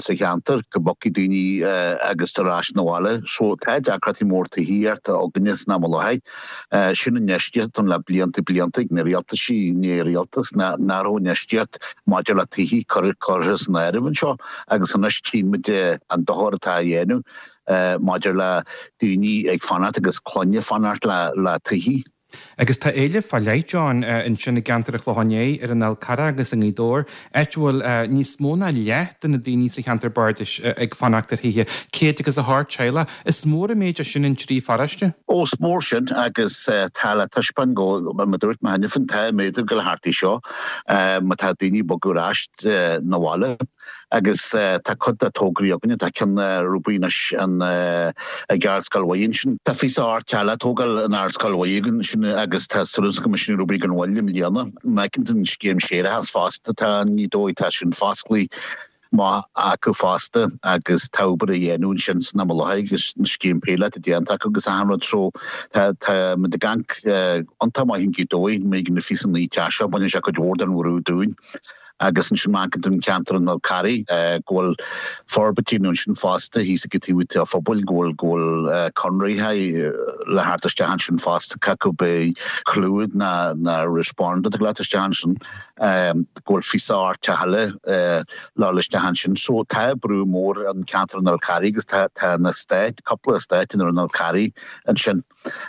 sa cheantar go mbogfaidh daoine agus ar ais 'na bhaile. So tá deacrachtaí mór tithíochta againne san am i láthair. Sin infheistíocht ann le blianta blianta ag na rialtaisí ní rialtas ná nach raibh infheistíocht maidir le tithí curtha san áireamh anseo agus anois tchíonn muid an dochar atá á dhéanamh maidir le daoine ag fanacht agus clainne ag fanacht le tithí. Agus tá éileamh fá leith, John, ansin i gceantar an Chlocháin Léith, ar an Fhál Carrach agus i nGaoth Dobhair, áit a bhfuil níos mó ná leath de na daoine sa cheantar bardais ag fanacht ar thithe, céad agus a hocht teaghlach. Is mór an méid é sin in trí pharóiste. Ó, is mór sin agus tá le taispeáint go, mar a dúirt mé cheana féin, tá méadú ag dul thart é seo má tá daoine ag bogadar ar ais 'na bhaile. Agus tá cuid de tograí againne, tá ceann ar obair anois ag Ardscoil Mhuire ansin. Tá fiche ocht teaghlach ag tógáil in Ardscoil Mhuire ansin agus tá súil go mbeidh sin ar obair gan mhoill i mbliana. Má fheiceann tú an scéim séarachais fosta, tá i nGaoth Dobhair, tá sin fosclaithe maith acu fosta agus tá obair á dhéanamh ansin san am i láthair agus an scéim píolóta déanta acu agus achan rud so tá tá muid ag amharc iontach maith in Gaoth Dobhair, mé na fiche naoi teach seo, baineann sé cuid mhór den bhrú dúinn. Agus ansin má amharcann tú an ceantar an Fhál Carraigh go bhfuil forbairtí nó ansin fosta thíos ag taobh an phobail go bhfuil go bhfuil conraithe le theacht isteach ansin fosta cé acu beidh Clúid ná ná Respond ag leat isteach ansin go bhfuil fiche ocht teach eile le dhul isteach ansin. So tá brú mór an ceantar an Fhál Carraigh agus tá tá na eastáit cúpla eastát in ar an Fhál Carraigh ansin.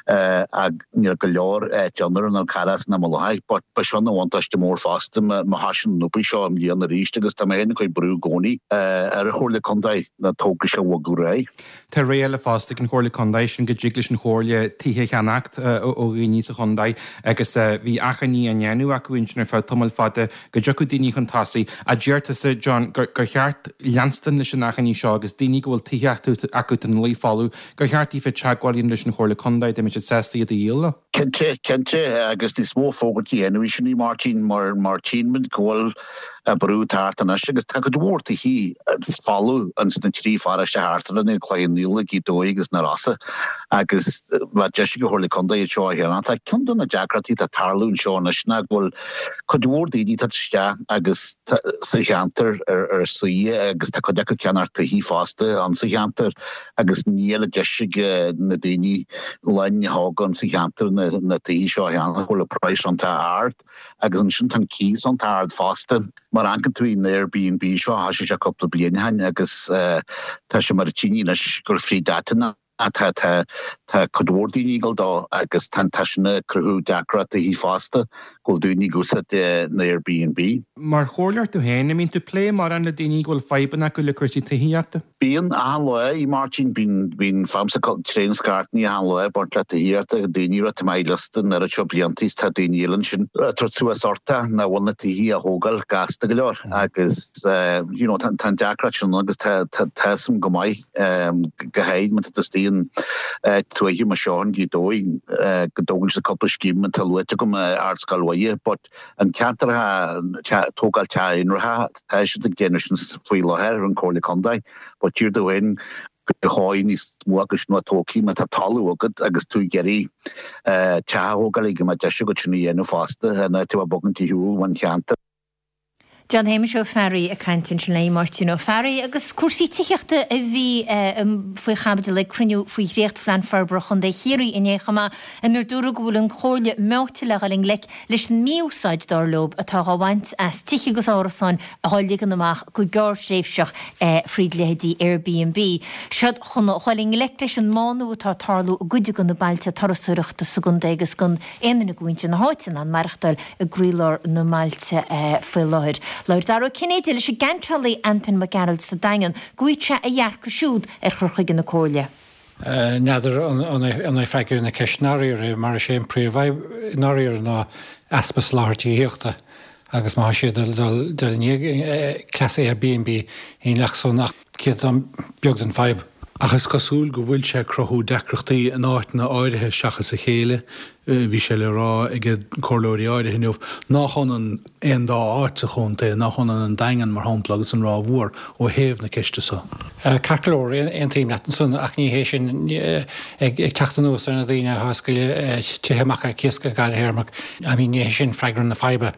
Ach níl go leor áit ann ar an Fhál Carrach san am i láthair. But ba seo ina bhuntáiste mór fosta má thosaíonn an obair seo i mbliana arís agus tá mé féin ag cur brú i gcónaí ar an Chomhairle Contae na tograí seo a bhogadh ar aghaidh. Tá rogha eile fosta ag an Chomhairle Contae, sin go dtig leis an Chomhairle tithe a cheannacht ó dhaoine sa chontae agus bhí achainí á ndéanamh acu ansin ar feadh tamaill fada go dtiocfadh daoine chun tosaigh. Ach deir tusa, John, gur cheart leanstan leis an achainí seo agus daoine go bhfuil tithe acu atá ina luí folamh, gur cheart daofa teagmháil a dhéanamh leis an Chomhairle Contae dá mbeadh siad sásta iad a dhíol leo. Cinnte, cinnte, agus níos mó fógairt a dhéanamh í sin í Máirtín, mar mar tchíonn muid go bhfuil brú thart anois agus tá cuid mhór tithí folamh ins na trí pharóiste thart orainn, an Clochán Liath, Gaoth Dobhair agus na Rosa agus bheadh deis ag an Chomhairle Contae iad seo a cheannach. Tá ceann de na deacrachtaí atá ag tarlú anseo anois ná go bhfuil cuid mhór daoine ag teacht isteach agus sa cheantar ar ar saoire agus tá cuid acu ag ceannacht tithí fosta ann sa cheantar agus níl an deis ag na daoine linn a thógáil sa cheantar na tithí seo a cheannach go bhfuil an praghas iontach ard agus ansin tá an cíos iontach ard fosta. Mar amharcann tú an Airbnb seo thosaigh sé cúpla bliain ó shin agus tá sé mar a tchíonn anois gur fríd áiteanna tá tá tá cuid mhór daoine ag dul dó agus tá tá sin ag cruthú deacrachtaí fosta go bhfuil daoine ag úsáid na Airbnb. Mar chomhairleoir tú féin, an mbíonn tú ag plé mórán le daoine go bhfuil fadhbanna acu le cúrsaí tithíochta? Bíonn, achan lá, a Mháirtín, bíonn, bíonn faighimse tréan scairteanna achan lá ag baint le tithíocht, daoine a rá tá mé ar liosta an oiread seo blianta is tá daoine eile ansin ag tabhairt suas orthu nach bhfuil na tithí á thógáil gasta go leor agus you know tá an deacracht sin ann agus tá tá tá a fhios agam go maith go háirid má tá tú istigh tarlaíonn tuaithe mar seo in Gaoth Dobhair go dtógann sé cúpla scéim atá luaite agam Ardscoil Mhuire but an ceantar tógáil teach aonaracha tá siad ag déanamh sin faoi láthair an Comhairle Contae but tír dóin go háí níos mó agus nó tócaí má tá talamh agat agus tú ag iarraidh teach a thógáil go mbeadh deis agat sin a dhéanamh fosta ná tú a bogann shiúl ón cheantar. John Shéamais Ó Fearraigh ag caint ansin le Máirtín Ó Fearraigh agus cúrsaí tithíochta a bhí faoi chaibidil ag cruinniú faoi dhréachtphlean forbartha Chontae Chiarraí inné chomh maith inar dúradh go bhfuil an Chomhairle meáite le dhul i ngleic leis an mí-úsáid dar leo atá á bhaint as tithe agus árasáin a ligean amach go gearrthréimhseach fríd leithéidí Airbnb. Siad chun dhul i ngleic leis an mbánú atá ag tarlú i gcuid de na bailte turasóireachta sa gcontae agus gan aon duine de mhuintir na háite in ann maireachtáil i gcroílár na mbailte faoi láthair. Labhair Dara Ó Cinnéide leis an gceantálaí Antain Mac Gearailt sa Daingean go bhfaighidh sé a dhearcadh siúd ar chur chuige na Comhairle. N'fheadar an é freagra na ceiste i ndáiríre mar is é an príomhfhadhb i ndáiríre ná easpa soláthair tithíochta agus má tá siad ag dul i ndiaidh cleas Airbnb ní leath san ach céatadán beag den fadhb. Ach is cosúil go bhfuil sé ag cruthú deacrachtaí in áiteanna áirithe seachas a chéile. Bhí sé le rá ag comhairleoirí áirithe inniu nach ionann aon dá áit sa chontae, nach ionann an Daingean, mar shampla, agus an Ráth Mhór ó thaobh na ceiste seo. Ceart go leor, aontaím leat ansan ach ní hé sin ag teacht anuas ar na daoine atá ag scaoileadh tithe amach ar cíos go gearrthéarmach. I mean ní hé sin freagra na faidhbe.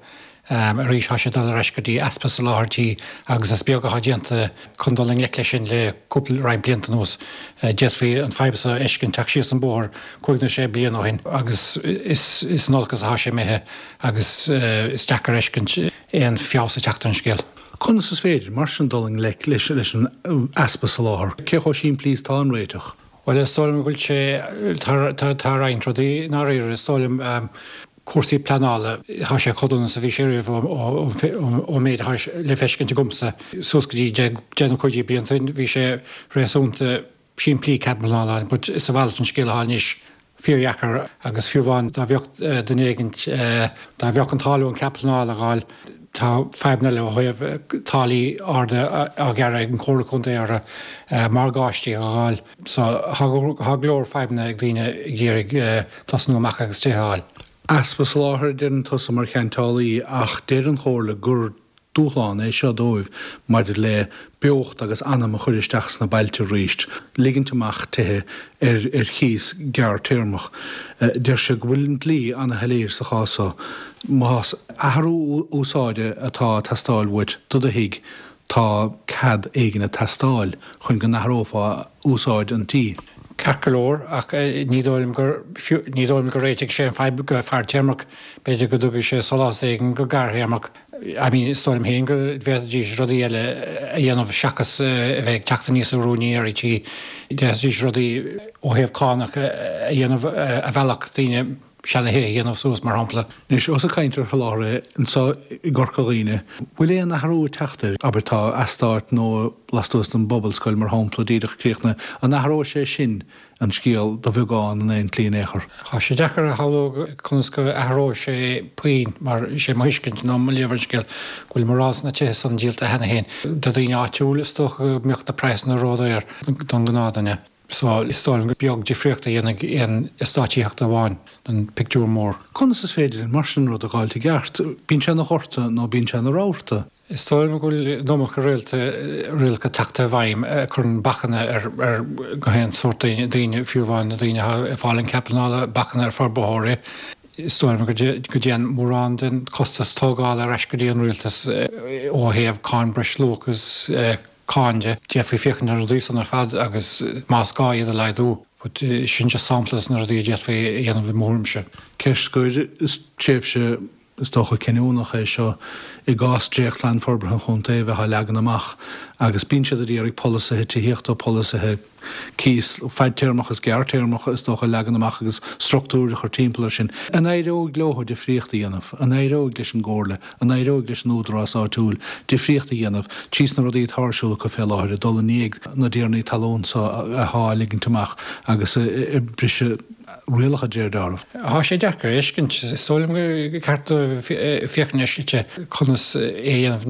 Arís tá sé ag dul ar ais go dtí easpa soláthairtí agus is beag atá déanta chun dul i ngleic leis sin le cúpla roinnt blianta anuas. D'fhéadfaí an fadhb seo a fheiscint teacht síos an bóthar cúig nó sé bliana ó shin agus is is in olcas atá sé imithe agus is deacair a fheiscint aon feabhas ag teacht ar an scéal. Conas is féidir mar sin dul i ngleic leis leis an easpa soláthair? Cé chomh simplí is atá an réiteach? Bhuel is dóigh liom go bhfuil sé tá tá roinnt rudaí i ndáiríre is dóigh liom cúrsaí pleanála, tá sé chomh dona is a bhí sé riamh ón méid atá le feiscint agamsa suas go dtí deich nó cúig déag blianta ó shin, bhí sé réasúnta simplí cead pleanála but is a mhalairt an scéal atá anois, fíordheacair agus fiú amháin dá bheadh duine éigint, dá bheadh an t-ádh leo an cead pleanála a fháil, tá fadhbanna eile ó thaobh táillí arda á ghearradh ag an Chomhairle Contae orthu, morgáistí a fháil. So tá go leor fadhbanna ag daoine ag iarraidh tosnú amach agus tithe a fháil. Easpa soláthair a deireann tusa mar cheantálaí ach deir an Chomhairle gur dúshlán é seo dóibh maidir le beocht agus anam a chur isteach sna bailte arís, ligint amach tithe ar ar chíos gearrtéarmach. Deir siad go bhfuil an dlí ana-shoiléir sa chás seo, más athrú úsáide atá ag teastáil uait do do thigh, tá cead éigin ag teastáil chun go n-athrófá úsáid an tí. Ceart go leor, ach ní dóigh liom gur, ní dóigh liom go réiteoidh sé an fadhb go fadtéarmach. B'fhéidir go dtugfaidh sé sólás éigin go gearrthéarmach. I mean, is dóigh liom féin go bhféadfaidís rudaí eile a dhéanamh seachas a bheith ag teacht aníos ar úinéirí tí. D'fhéadfaidís rudaí ó thaobh cánach a dhéanamh a mheallfadh daoine seanatithe a dhéanamh suas, mar shampla. Anois, ós ag caint ar sholáthar é anseo i gCorca Dhuibhne, bhfuil aon athrú ag teacht air? Abair, tá eastát nua lastuas den bPobalscoil, mar shampla, díreach críochnaithe. An athróidh sé sin an scéal de bheagán in aon tslí in aon chor? Tá sé deacair a shamhlú conas go athróidh sé puinn, mar is é mo thuiscint nó mo léamh ar an scéal go bhfuil mórán de na tithe san díolta cheana féin do dhaoine áitiúil. Is dócha go mbeadh na praghsanna ródhaor don ghnáthdhuine. So, is dóigh liom gur beag difríocht a dhéanfaidh aon eastát tithíochta amháin don pictiúr mór. Conas is féidir linn mar sin rud a dh'fháilt i gceart? Bíonn sé ina ghorta nó bíonn sé ina rabharta. Is dóigh liom go bhfuil an iomarca rialacha tagtha i bhfeidhm a chuireann bacanna ar ar gach aon sórt daoine, fiú amháin na daoine atá ag fáil an cead pleanála, bacanna ar forbróirí. Is dóigh liom go dtéann mórán den chostas tógála ar ais go dtí an rialtas ó thaobh cáin breisluach agus cáin de. D'fhéadfaí féachaint ar na rudaí san ar fad agus más gá iad a laghdú. But sin just sampla de na rudaí a d'fhéadfaí a dhéanamh i mo thuairimse. Ceist scoir, is tréimhse is dócha cinniúnach é seo i gcás dréachtphlean forbartha an chontae a bheith á leagan amach agus bíonn siad ag iarraidh polasaithe tithíochta, polasaithe cíos fadtéarmach is gearrtéarmach is dócha a leagan amach agus struchtúir a chur timpeall air sin. An éireoidh leo difríocht a dhéanamh? An éireoidh leis an gComhairle? An éireoidh leis an údarás áitiúil difríocht a dhéanamh trí sna rudaí atá ar siúl acu fé láthair, ag dul i ndiaidh na dtiarnaí talún so athá ag ligint amach agus ag briseadh rialacha de réir dealraimh? Tá sé deacair a fheiscint. Is dóigh liom gur ceart dóibh féachaint ar shlite conas é a dhéanamh.